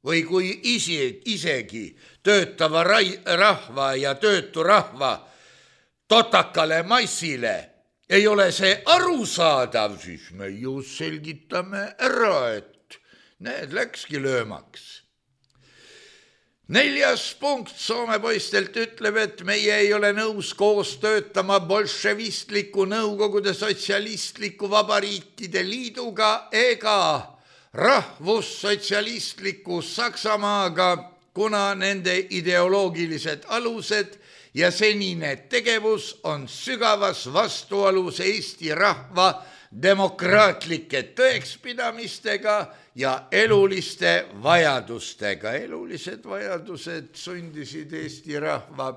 Või kui isi, isegi töötava rai, rahva ja töötu rahva totakale massile ei ole see arusaadav, siis me ju selgitame ära, et need läkski löömaks. Neljas punkt Soome poistelt ütleb, et meie ei ole nõus koos töötama bolševistliku Nõukogude sotsialistliku vabariikide liiduga ega rahvussotsialistliku Saksamaaga, kuna nende ideoloogilised alused ja senine tegevus on sügavas vastuolus Eesti rahva demokraatlike tõekspidamistega ja eluliste vajadustega. Elulised vajadused sundisid Eesti rahva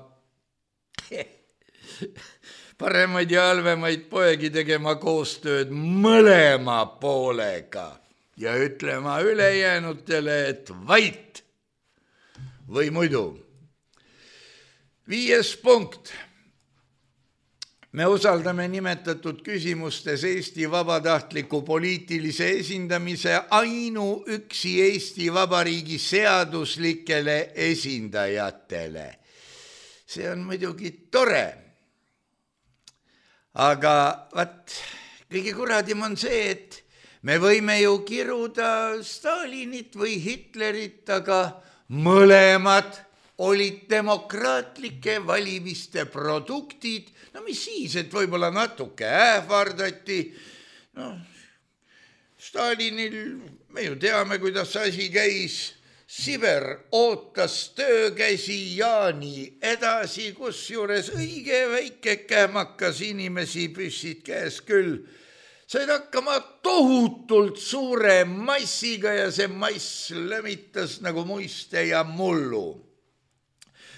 paremaid ja halvemaid poegi tegema koostööd mõlema poolega ja ütlema ülejäänutele, et vait või muidu. Viies punkt. Me usaldame nimetatud küsimustes Eesti vabatahtliku poliitilise esindamise ainuüksi Eesti Vabariigi seaduslikele esindajatele. See on muidugi tore. Aga vaat, kõige kuradim on see, et me võime ju kiruda Stalinit või Hitlerit, aga mõlemad olid demokraatlike valimiste produktid. No mis siis, et võib-olla natuke ähvardati. No, Stalinil, me ju teame, kuidas asi käis. Siber ootas töökäsi Jaani edasi, kus juures õige väike kähmakas inimesi püssid käes küll. Said hakkama tohutult suure massiga ja see mass lömitas nagu muiste ja mullu.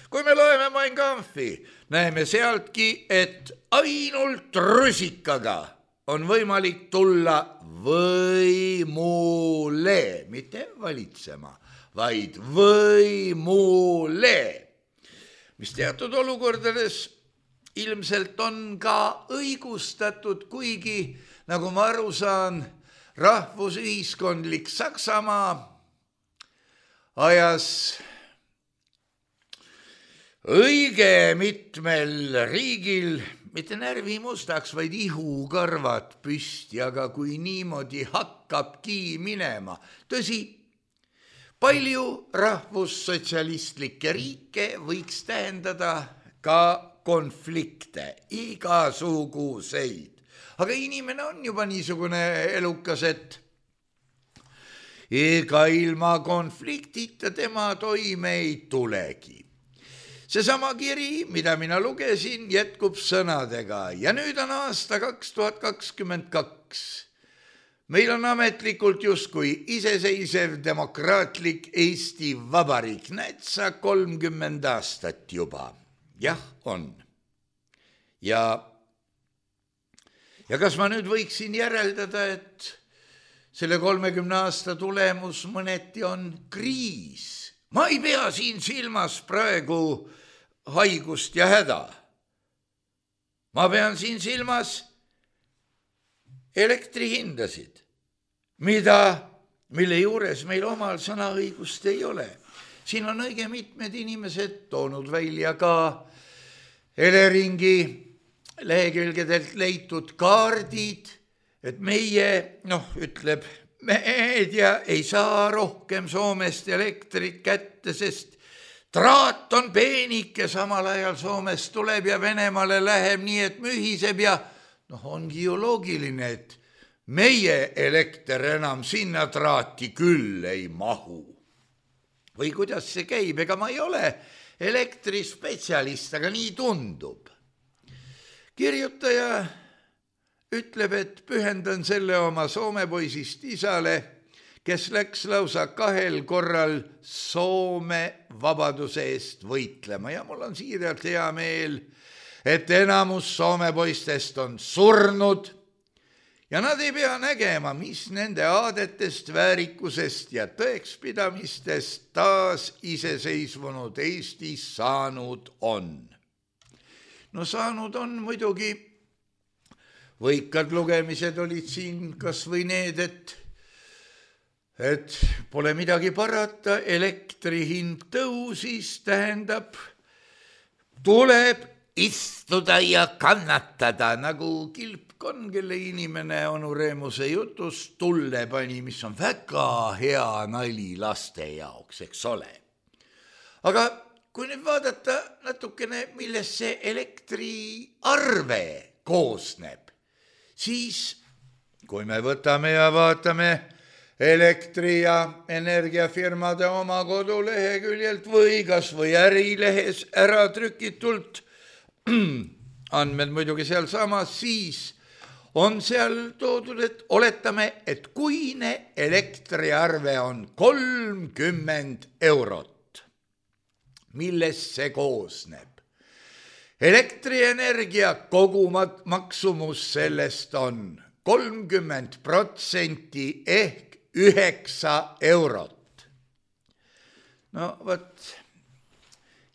Kui me loeme Mein Kampfi, näeme sealtki, et ainult rusikaga on võimalik tulla võimule, mitte valitsema, vaid võimule, mis teatud olukordades ilmselt on ka õigustatud, kuigi, nagu ma aru saan, rahvusühiskondlik Saksamaa ajas õige mitmel riigil mitte närvi mustaks, vaid ihukarvad püsti, aga kui niimoodi hakkabki minema. Tõsi, palju rahvussotsialistlikke riike võiks tähendada ka konflikte, igasuguseid. Aga inimene on juba niisugune elukas, et ega ilma konfliktita tema toime ei tulegi. Seesama kiri, mida mina lugesin, jätkub sõnadega ja nüüd on aasta kaks tuhat kakskümmend kaks. Meil on ametlikult justkui iseseisev demokraatlik Eesti Vabariik. Näed sa kolmkümmend aastat juba. Jah, on. Ja, ja kas ma nüüd võiksin järeldada, et selle kolmekümne aasta tulemus mõneti on kriis? Ma ei pea siin silmas praegu haigust ja häda. Ma pean siin silmas elektrihindasid, mida, mille juures meil omal sõnaõigust ei ole. Siin on õige mitmed inimesed toonud välja ka Eleringi lehekülgedelt leitud kaardid, et meie, noh, ütleb, meedia ei saa rohkem Soomest elektrit kätte, sest traat on peenike, samal ajal Soomest tuleb ja Venemaale läheb nii, et mühiseb ja noh, ongi ju loogiline, et meie elekter enam sinna traati küll ei mahu. Või kuidas see käib? Ega ma ei ole elektrispetsialist, aga nii tundub. Kirjutaja ütleb, et pühendan selle oma Soome poisist isale, kes läks lausa kahel korral Soome vabaduse eest võitlema. Ja mul on siiralt hea meel, et enamus Soome poistest on surnud ja nad ei pea nägema, mis nende aadetest, väärikusest ja tõekspidamistest taas iseseisvunud Eestis saanud on. No saanud on muidugi, võikad lugemised olid siin kas või need, et, et pole midagi parata, elektri hind tõusis, tähendab, tuleb istuda ja kannatada, nagu Kilpkon, kelle inimene onu Reemuse jutus tulle pani, mis on väga hea nali laste jaoks, eks ole. Aga kui nüüd vaadata natukene, millest see elektriarve koosneb, siis kui me võtame ja vaatame elektri- ja energiafirmade oma koduleheküljelt või kas või ärilehes ära trükitult, andmed muidugi seal samas, siis on seal toodud, et oletame, et kuine elektriarve on kolmkümmend eurot. Millest see koosneb? Elektrienergia kogumaksumus sellest on kolmkümmend protsenti ehk üheksa eurot. No võt,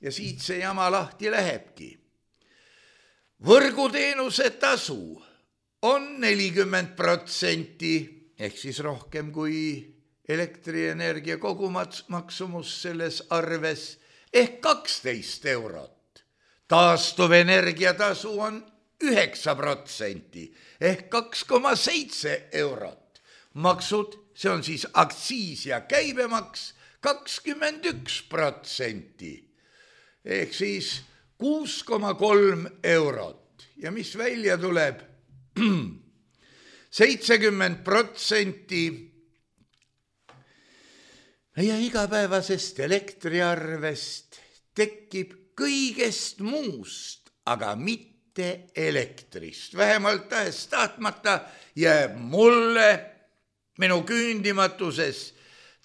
ja siit see jama lahti lähebki. Võrguteenuse tasu on nelikümmend protsenti ehk siis rohkem kui elektrienergia kogumaksumus selles arves ehk kaksteist eurot. Taastuvenergia tasu on üheksa protsenti ehk kaks koma seitse eurot. Maksud, see on siis aktsiis ja käibemaks, kakskümmend üks protsenti ehk siis kuus koma kolm eurot. Ja mis välja tuleb? seitsekümmend protsenti meie igapäevasest elektriarvest tekib kõigest muust, aga mitte elektrist. Vähemalt tahes tahtmata jääb mulle minu küündimatuses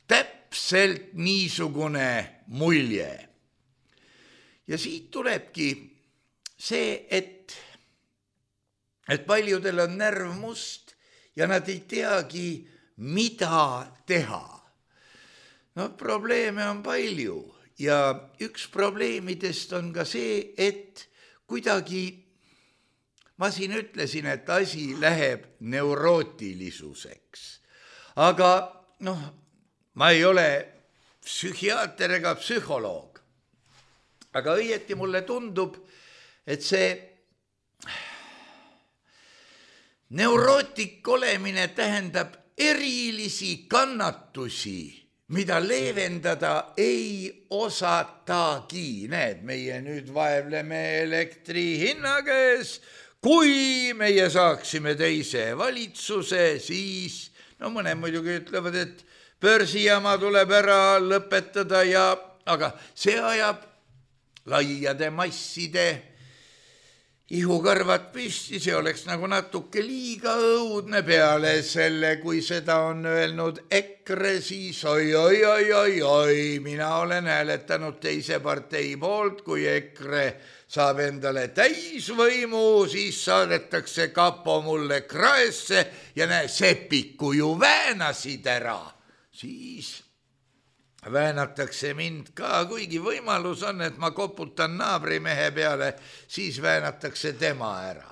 täpselt niisugune mulje. Ja siit tulebki see, et, et paljudel on närv must ja nad ei teagi, mida teha. No probleeme on palju ja üks probleemidest on ka see, et kuidagi, ma siin ütlesin, et asi läheb neurootilisuseks. Aga noh, ma ei ole psühhiaater ega psühholoog. Aga õieti mulle tundub, et see neurootik olemine tähendab erilisi kannatusi, mida leevendada ei osatagi. Näed, meie nüüd vaevleme elektri hinna käes. Kui meie saaksime teise valitsuse, siis, no mõned muidugi ütlevad, et börsijama tuleb ära lõpetada ja, aga see ajab laiade masside ihukarvad püsti, see oleks nagu natuke liiga õudne peale selle, kui seda on öelnud EKRE, siis oi, oi, oi, oi, oi, mina olen hääletanud teise partei poolt, kui EKRE saab endale täisvõimu, siis saadetakse kapo mulle kraesse ja näe, sepiku ju väänasid ära, siis väänatakse mind ka, kuigi võimalus on, et ma koputan naabrimehe peale, siis väänatakse tema ära.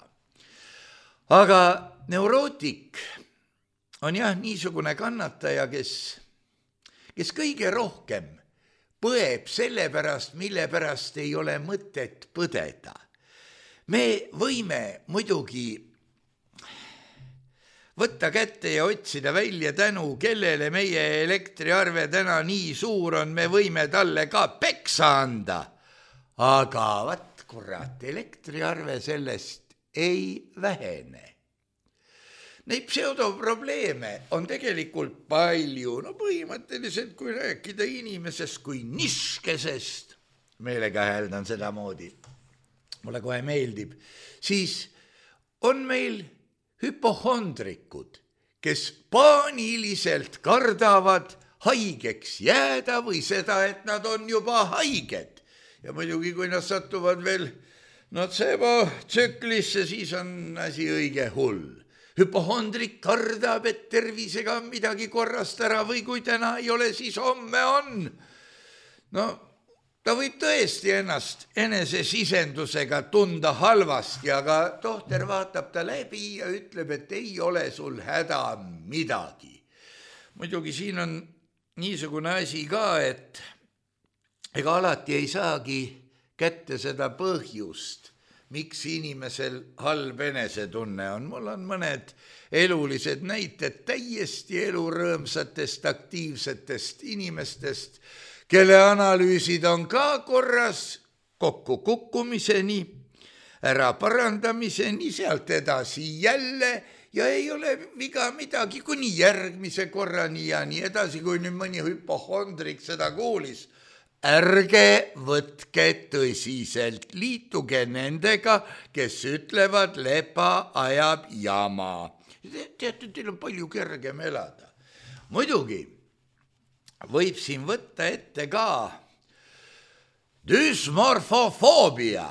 Aga neurootik on jah niisugune kannataja, kes, kes kõige rohkem põeb selle pärast, mille pärast ei ole mõtet põdeda. Me võime muidugi võtta kätte ja otsida välja tänu, kellele meie elektriarve täna nii suur on, me võime talle ka peksa anda. Aga vat kurat, elektriarve sellest ei vähene. Neid pseudoprobleeme on tegelikult palju, no põhimõtteliselt kui rääkida inimesest kui niskesest, meelega hääldan seda moodi, mulle kohe meeldib, siis on meil hüpohondrikud, kes paaniliselt kardavad haigeks jääda või seda, et nad on juba haiged. Ja muidugi, kui nad satuvad veel notseebotsüklisse, siis on asi õige hull. Hüpohondrik kardab, et tervisega midagi korrast ära või kui täna ei ole, siis homme on. No, ta võib tõesti ennast enese sisendusega tunda halvasti, aga tohter vaatab ta läbi ja ütleb, et ei ole sul häda midagi. Muidugi siin on niisugune asi ka, et ega alati ei saagi kätte seda põhjust, miks inimesel halb enesetunne on. Mul on mõned elulised näited täiesti elurõõmsatest, aktiivsetest inimestest, kelle analüüsid on ka korras kokku kukkumiseni, ära parandamiseni, sealt edasi jälle ja ei ole viga midagi kuni järgmise korrani ja nii edasi, kui nüüd mõni hüpohondrik seda kuulis. Ärge võtke tõsiselt, liituge nendega, kes ütlevad, lepa ajab jama. Teate, teil on palju kergem elada. Muidugi võib siin võtta ette ka dysmorfofoobia,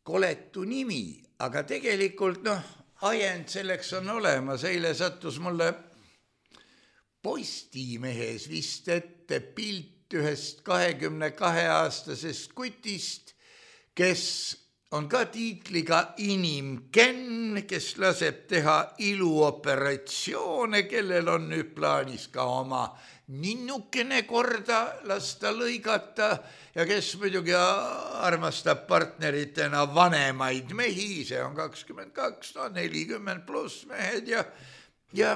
koletu nimi, aga tegelikult noh, ajend selleks on olemas. Eile sattus mulle Postimehes vist ette pilt ühest kahekümne kahe aastasest kutist, kes on ka tiitliga inimken, kes laseb teha iluoperatsioone, kellel on nüüd plaanis ka oma ninnukene korda lasta lõigata ja kes muidugi armastab partneritena vanemaid mehi, see on kakskümmend kaks, no nelikümmend pluss mehed ja, ja,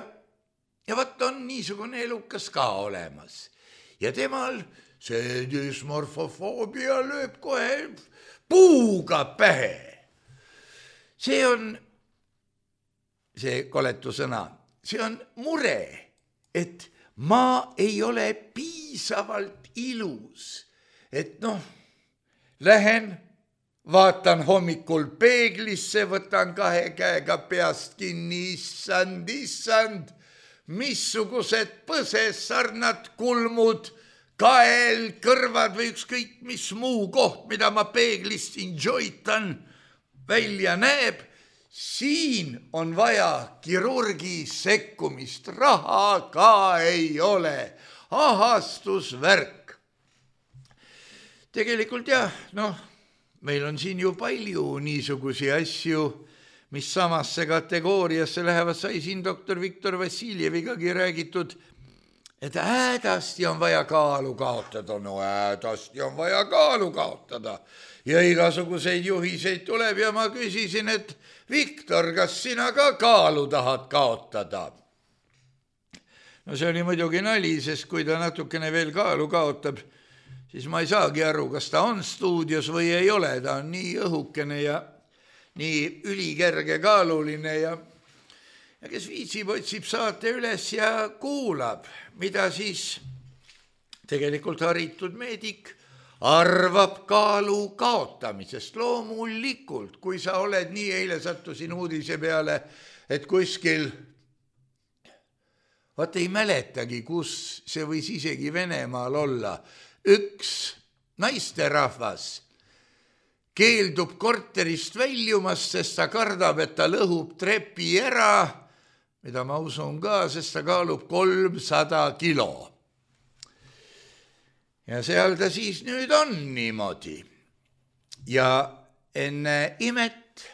ja vaat on niisugune elukas ka olemas. Ja temal see dysmorfofoobia lööb kohe puuga pähe. See on, see koletu sõna, see on mure, et ma ei ole piisavalt ilus. Et noh, lähen, vaatan hommikul peeglisse, võtan kahe käega peast kinni, issand, issand, missugused põsessarnad, kulmud, kael, kõrvad või ükskõik mis muu koht, mida ma peeglist enjoytan, välja näeb, siin on vaja kirurgi sekkumist, raha ka ei ole, ahastusvärk. Tegelikult jah, noh, meil on siin ju palju niisugusi asju, mis samasse kategooriasse lähevad, sai siin doktor Viktor Vassiljevikagi räägitud, et hädasti on vaja kaalu kaotada, no hädasti on vaja kaalu kaotada. Ja igasuguseid juhiseid tuleb ja ma küsisin, et Viktor, kas sina ka kaalu tahad kaotada? No see oli muidugi nali, sest kui ta natukene veel kaalu kaotab, siis ma ei saagi aru, kas ta on stuudios või ei ole, ta on nii õhukene ja nii ülikerge kaaluline ja, ja kes viitsib, otsib saate üles ja kuulab, mida siis tegelikult haritud meedik arvab kaalu kaotamisest. Loomulikult, kui sa oled nii, eile sattusin uudise peale, et kuskil, vaata ei mäletagi, kus see võis isegi Venemaal olla, üks naisterahvas keeldub korterist väljumast, sest ta kardab, et ta lõhub trepi ära, mida ma usun ka, sest ta kaalub kolmsada kilo. Ja seal ta siis nüüd on niimoodi. Ja enne imet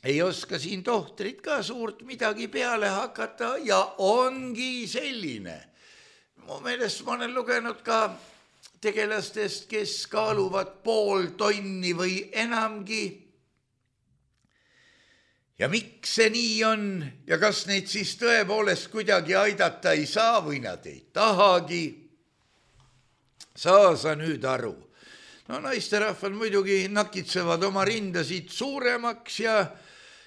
ei oska siin tohtrid ka suurt midagi peale hakata ja ongi selline. Mu meelest ma olen lugenud ka tegelastest, kes kaaluvad pool tonni või enamgi. Ja miks see nii on ja kas neid siis tõepoolest kuidagi aidata ei saa või nad ei tahagi, saa sa nüüd aru. No naisterahvad muidugi nakitsevad oma rindasid suuremaks ja,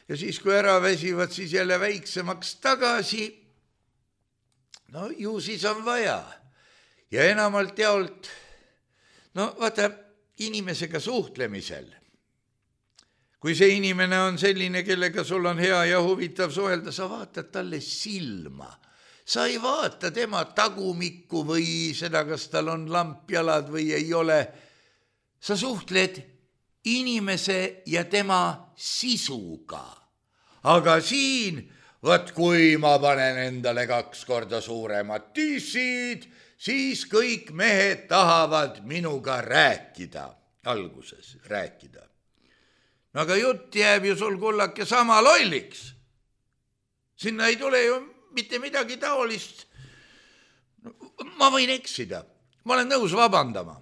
ja siis kui ära väsivad, siis jälle väiksemaks tagasi. No ju siis on vaja. Ja enamalt jaolt, no vaata, inimesega suhtlemisel. Kui see inimene on selline, kellega sul on hea ja huvitav suhelda, sa vaatad talle silma. Sa ei vaata tema tagumikku või seda, kas tal on lampjalad või ei ole. Sa suhtled inimese ja tema sisuga. Aga siin, vaat kui ma panen endale kaks korda suuremad tissid, siis kõik mehed tahavad minuga rääkida. Alguses rääkida. No aga jutt jääb ju sul kullake sama lolliks. Sinna ei tule ju mitte midagi taolist. Ma võin eksida. Ma olen nõus vabandama.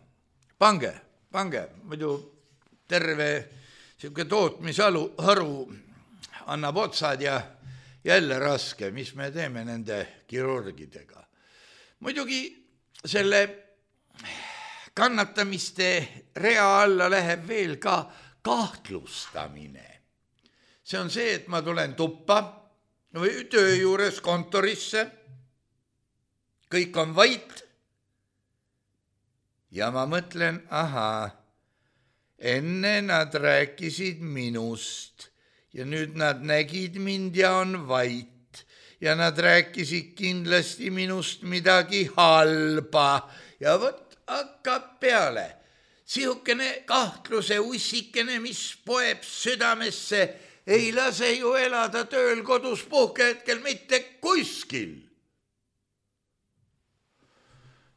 Pange, pange. Muidu terve siuke tootmisalu haru annab otsad ja jälle raske, mis me teeme nende kirurgidega. Muidugi selle kannatamiste rea alla läheb veel ka kahtlustamine. See on see, et ma tulen tuppa või töö juures kontorisse, kõik on vait ja ma mõtlen, aha, enne nad rääkisid minust ja nüüd nad nägid mind ja on vait ja nad rääkisid kindlasti minust midagi halba ja võt hakkab peale. Sihukene kahtluse ussikene, mis poeb südamesse, ei lase ju elada tööl kodus puhkehetkel mitte kuskil.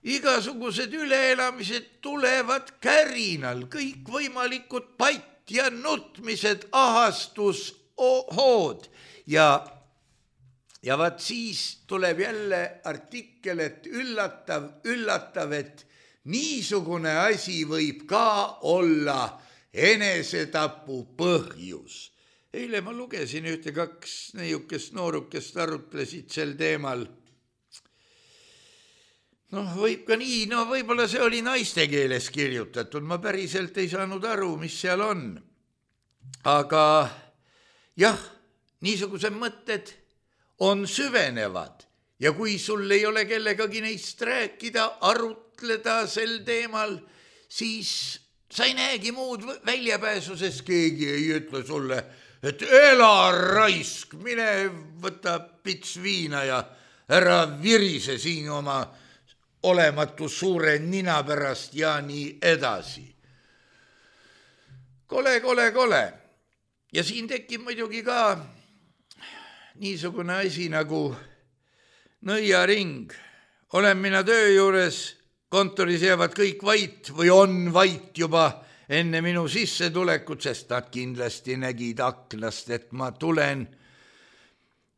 Igasugused üleelamised tulevad kärinal, kõik võimalikud patt ja nutmised, ahastus, hood ja, ja vaat siis tuleb jälle artikkel, et üllatav, üllatav, et niisugune asi võib ka olla enesetapu põhjus. Eile ma lugesin ühte kaks neiukest noorukest arutlesid sel teemal. Noh, võib ka nii, no võib-olla see oli naiste keeles kirjutatud, ma päriselt ei saanud aru, mis seal on. Aga jah, niisugused mõtted on süvenevad ja kui sul ei ole kellegagi neist rääkida, arutleda sel teemal, siis sa ei näegi muud väljapääsu, sest keegi ei ütle sulle, et ela raisk, mine võta pits viina ja ära virise siin oma olematu suure nina pärast ja nii edasi. Kole, kole, kole. Ja siin tekib muidugi ka niisugune asi nagu nõiaring. Olen mina töö juures, kontoris jäävad kõik vait või on vait juba enne minu sissetulekut, sest nad kindlasti nägid aknast, et ma tulen.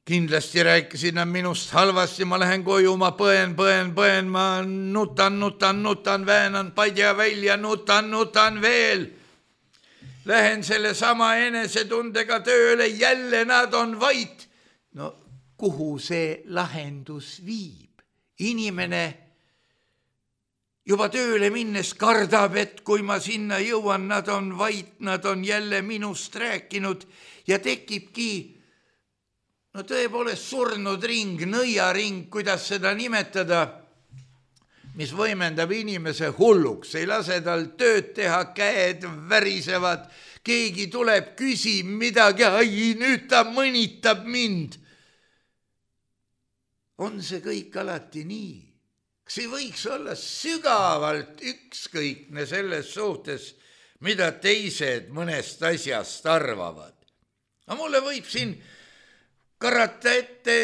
Kindlasti rääkisid nad minust halvasti, ma lähen koju, ma põen, põen, põen, ma nutan, nutan, nutan, väänan padja välja, nutan, nutan veel. Lähen selle sama enesetundega tööle, jälle nad on vait. No kuhu see lahendus viib? Inimene juba tööle minnes kardab, et kui ma sinna jõuan, nad on vait, nad on jälle minust rääkinud ja tekibki no tõepoolest surnud ring, nõiaring, kuidas seda nimetada, mis võimendab inimese hulluks, ei lase tal tööd teha, käed värisevad, keegi tuleb, küsib midagi, ai, nüüd ta mõnitab mind. On see kõik alati nii? Kas ei võiks olla sügavalt ükskõikne selles suhtes, mida teised mõnest asjast arvavad? No mulle võib siin karata ette,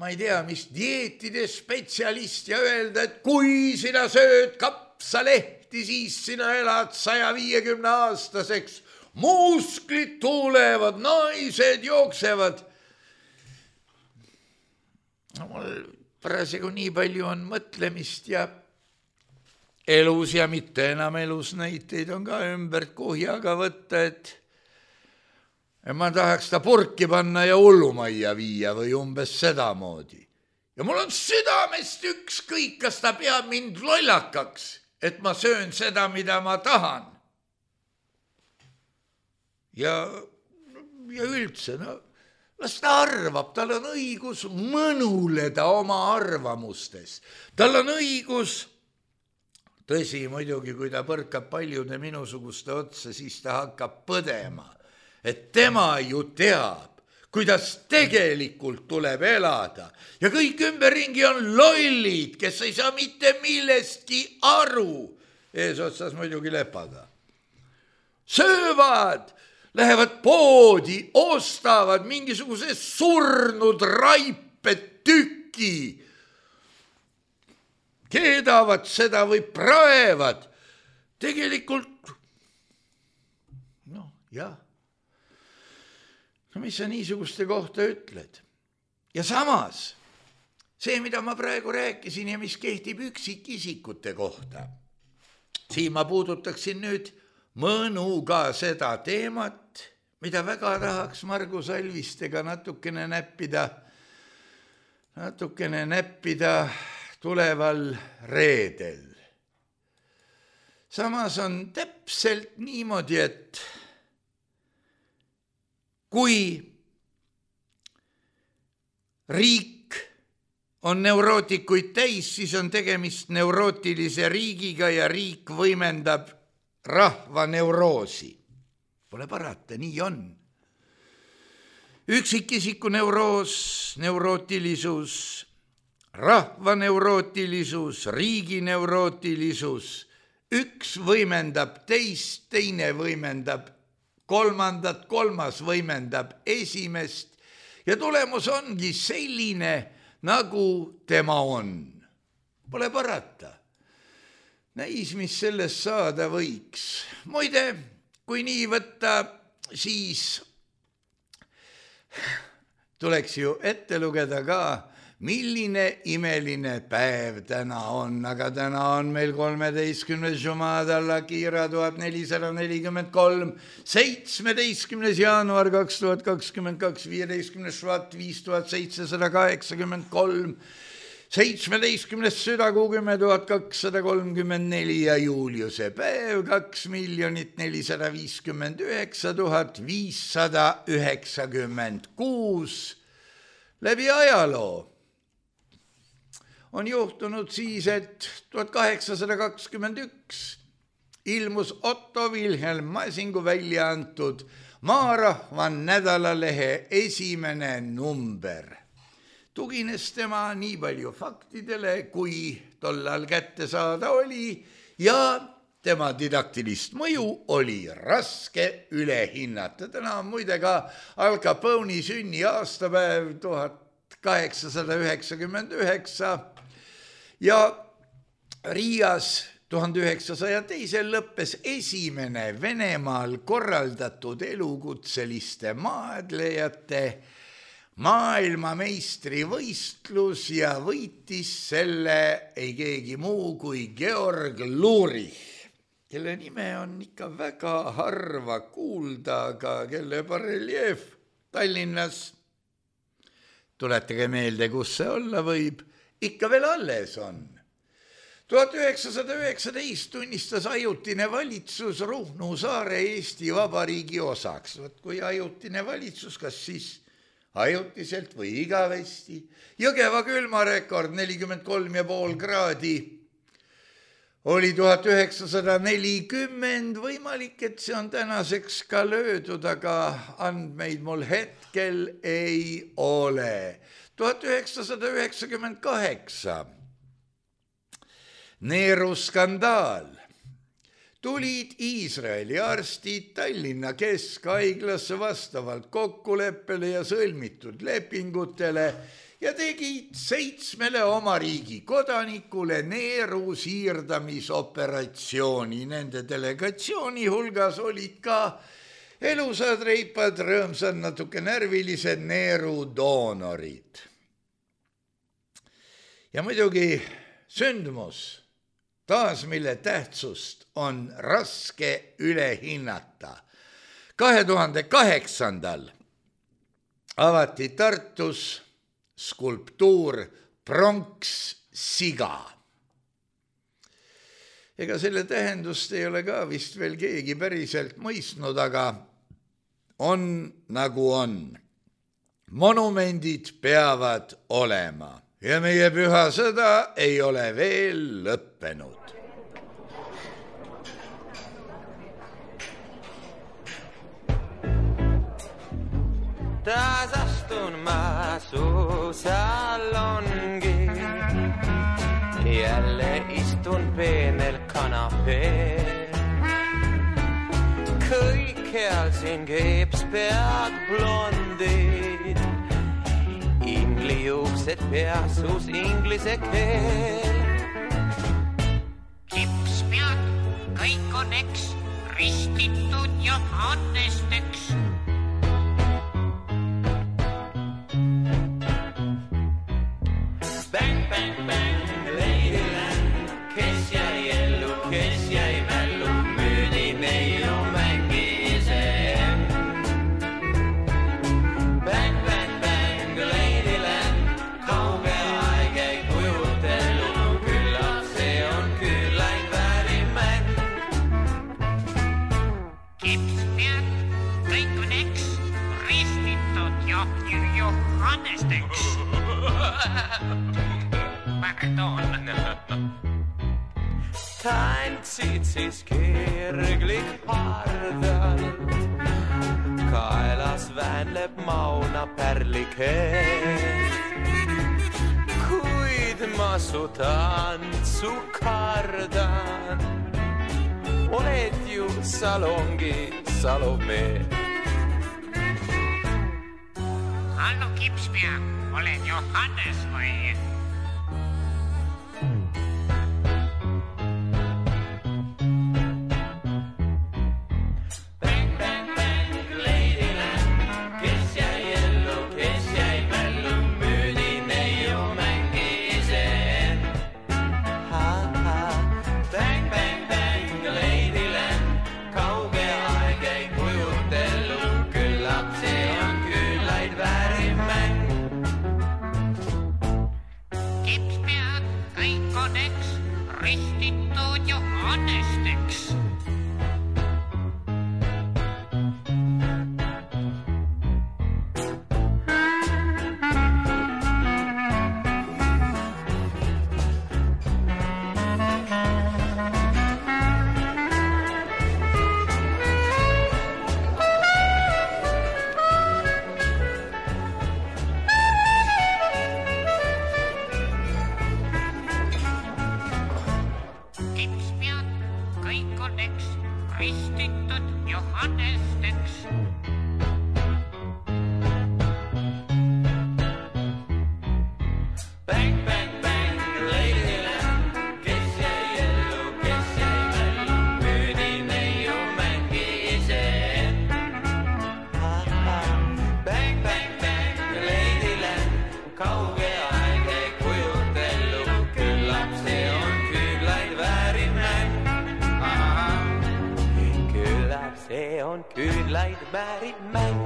ma ei tea, mis dieetide spetsialist ja öelda, et kui sina sööd kapsalehti, siis sina elad saja viiekümne aastaseks, musklid tulevad, naised jooksevad. No, mul parasjagu nii palju on mõtlemist ja elus ja mitte enam elus näiteid on ka ümbert kuhjaga võtta, et ma tahaks ta purki panna ja hullumajja viia või umbes sedamoodi. Ja mul on südamest ükskõik, kas ta peab mind lollakaks, et ma söön seda, mida ma tahan. Ja, ja üldse, no, las ta arvab, tal on õigus mõnuleda oma arvamustes. Tal on õigus, tõsi muidugi, kui ta põrkab paljude minusuguste otsa, siis ta hakkab põdema, et tema ju teab, kuidas tegelikult tuleb elada. Ja kõik ümberringi on lollid, kes ei saa mitte millestki aru. Eesotsas muidugi lepaga. Söövad, lähevad poodi, ostavad mingisuguse surnud raipe tüki. Keedavad seda või praevad. Tegelikult, noh, jah. No mis sa niisuguste kohta ütled? Ja samas, see, mida ma praegu rääkisin ja mis kehtib üksikisikute kohta, siin ma puudutaksin nüüd mõnuga seda teemat, mida väga tahaks Margus Alvistega natukene näppida, natukene näppida tuleval reedel. Samas on täpselt niimoodi, et kui riik on neurootikuid täis, siis on tegemist neurootilise riigiga ja riik võimendab rahva neuroosi. Pole parata, nii on. Üksikisiku neuroos, neurootilisus, rahva neurootilisus, riigi neurootilisus, üks võimendab teist, teine võimendab kolmandat, kolmas võimendab esimest ja tulemus ongi selline, nagu tema on. Pole parata. Näis, mis sellest saada võiks. Muide, kui nii võtta, siis tuleks ju ette lugeda ka, milline imeline päev täna on, aga täna on meil kolmeteistkümnes Jumadala Kiira tuhat nelisada nelikümmend kolm, seitsmeteistkümnes jaanuar kaks tuhat kakskümmend kaks, viieteistkümnes Švat viis tuhat seitsesada kaheksakümmend kolm, seitsmeteistkümnes Südakuu kümme tuhat kakssada kolmkümmend neli ja Juuliuse päev kaks miljonit nelisada viiskümmend üheksa tuhat viissada üheksakümmend kuus. Läbi ajaloo on juhtunud siis, et tuhat kaheksasada kakskümmend üks ilmus Otto Wilhelm Masingu välja antud Maarahva nädalalehe esimene number. Tugines tema nii palju faktidele, kui tollal kätte saada oli ja tema didaktilist mõju oli raske üle hinnata. Täna on muide ka Al Capone'i sünni aastapäev tuhat kaheksasada üheksakümmend üheksa ja Riias tuhande üheksasaja teisel lõppes esimene Venemaal korraldatud elukutseliste maadlejate maailmameistri võistlus ja võitis selle ei keegi muu kui Georg Lurich, kelle nime on ikka väga harva kuulda, aga kelle bareljeef Tallinnas, tuletage meelde, kus see olla võib, ikka veel alles on. tuhat üheksasada üheksateist tunnistas ajutine valitsus Ruhnu saare Eesti Vabariigi osaks. Võt kui ajutine valitsus, kas siis ajutiselt või igavesti. Jõgeva külmarekord nelikümmend kolm ja pool kraadi oli tuhat üheksasada nelikümmend, võimalik, et see on tänaseks ka löödud, aga andmeid mul hetkel ei ole. tuhat üheksasada üheksakümmend kaheksa, Neeru skandaal. Tulid Iisraeli arstid Tallinna keskhaiglasse vastavalt kokkuleppele ja sõlmitud lepingutele ja tegid seitsmele oma riigi kodanikule neeru siirdamisoperatsiooni. Nende delegatsiooni hulgas olid ka elusad, reipad, rõõmsad, natuke närvilised neerudoonorid. Ja muidugi sündmus, taas mille tähtsust on raske üle hinnata. kahe tuhande kaheksandal avati Tartus skulptuur Pronkssiga. Ega selle tähendust ei ole ka vist veel keegi päriselt mõistnud, aga on nagu on. Monumendid peavad olema ja meie püha sõda ei ole veel lõppenud. Taas astun ma su salongi, jälle istun peenel kanapeel. Kõikjal siin keepspead blondid, inglijuuksed peasus inglise keel. Kipspead, kõik on eks ristitud ja annesteks. Bang, bang, bang, Ladyland, kes jäi ellu, kes jäi mällu, müüdi neiu mängis end. Bang, bang, bang, Ladyland, kauge aeg ei kujutelu, küllap see on küllaid väärimäng. Kipspead, kõik on eks ristitud ja Johannesteks. Tantsid siis kirglik hardalt, kaelas väänleb mauna pärlikeel. Kuid ma su tantsu kardan, oled ju salongi Salome. Hallo Kipspead, olen Johannes või? Ristitud Johannesteks. Ristitud Johannesteks. Bang, bang, bang, Ladyland, kes jäi ellu, kes jäi mällu, müüdi neiu mängis end. Bang, bang, bang, Ladyland, kauge aeg ei kujutelu, küllap see on küllaid väärimäng. See on küllaid vääriv mäng.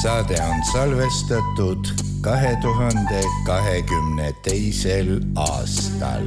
Saade on salvestatud kahe tuhande kahekümne teisel aastal.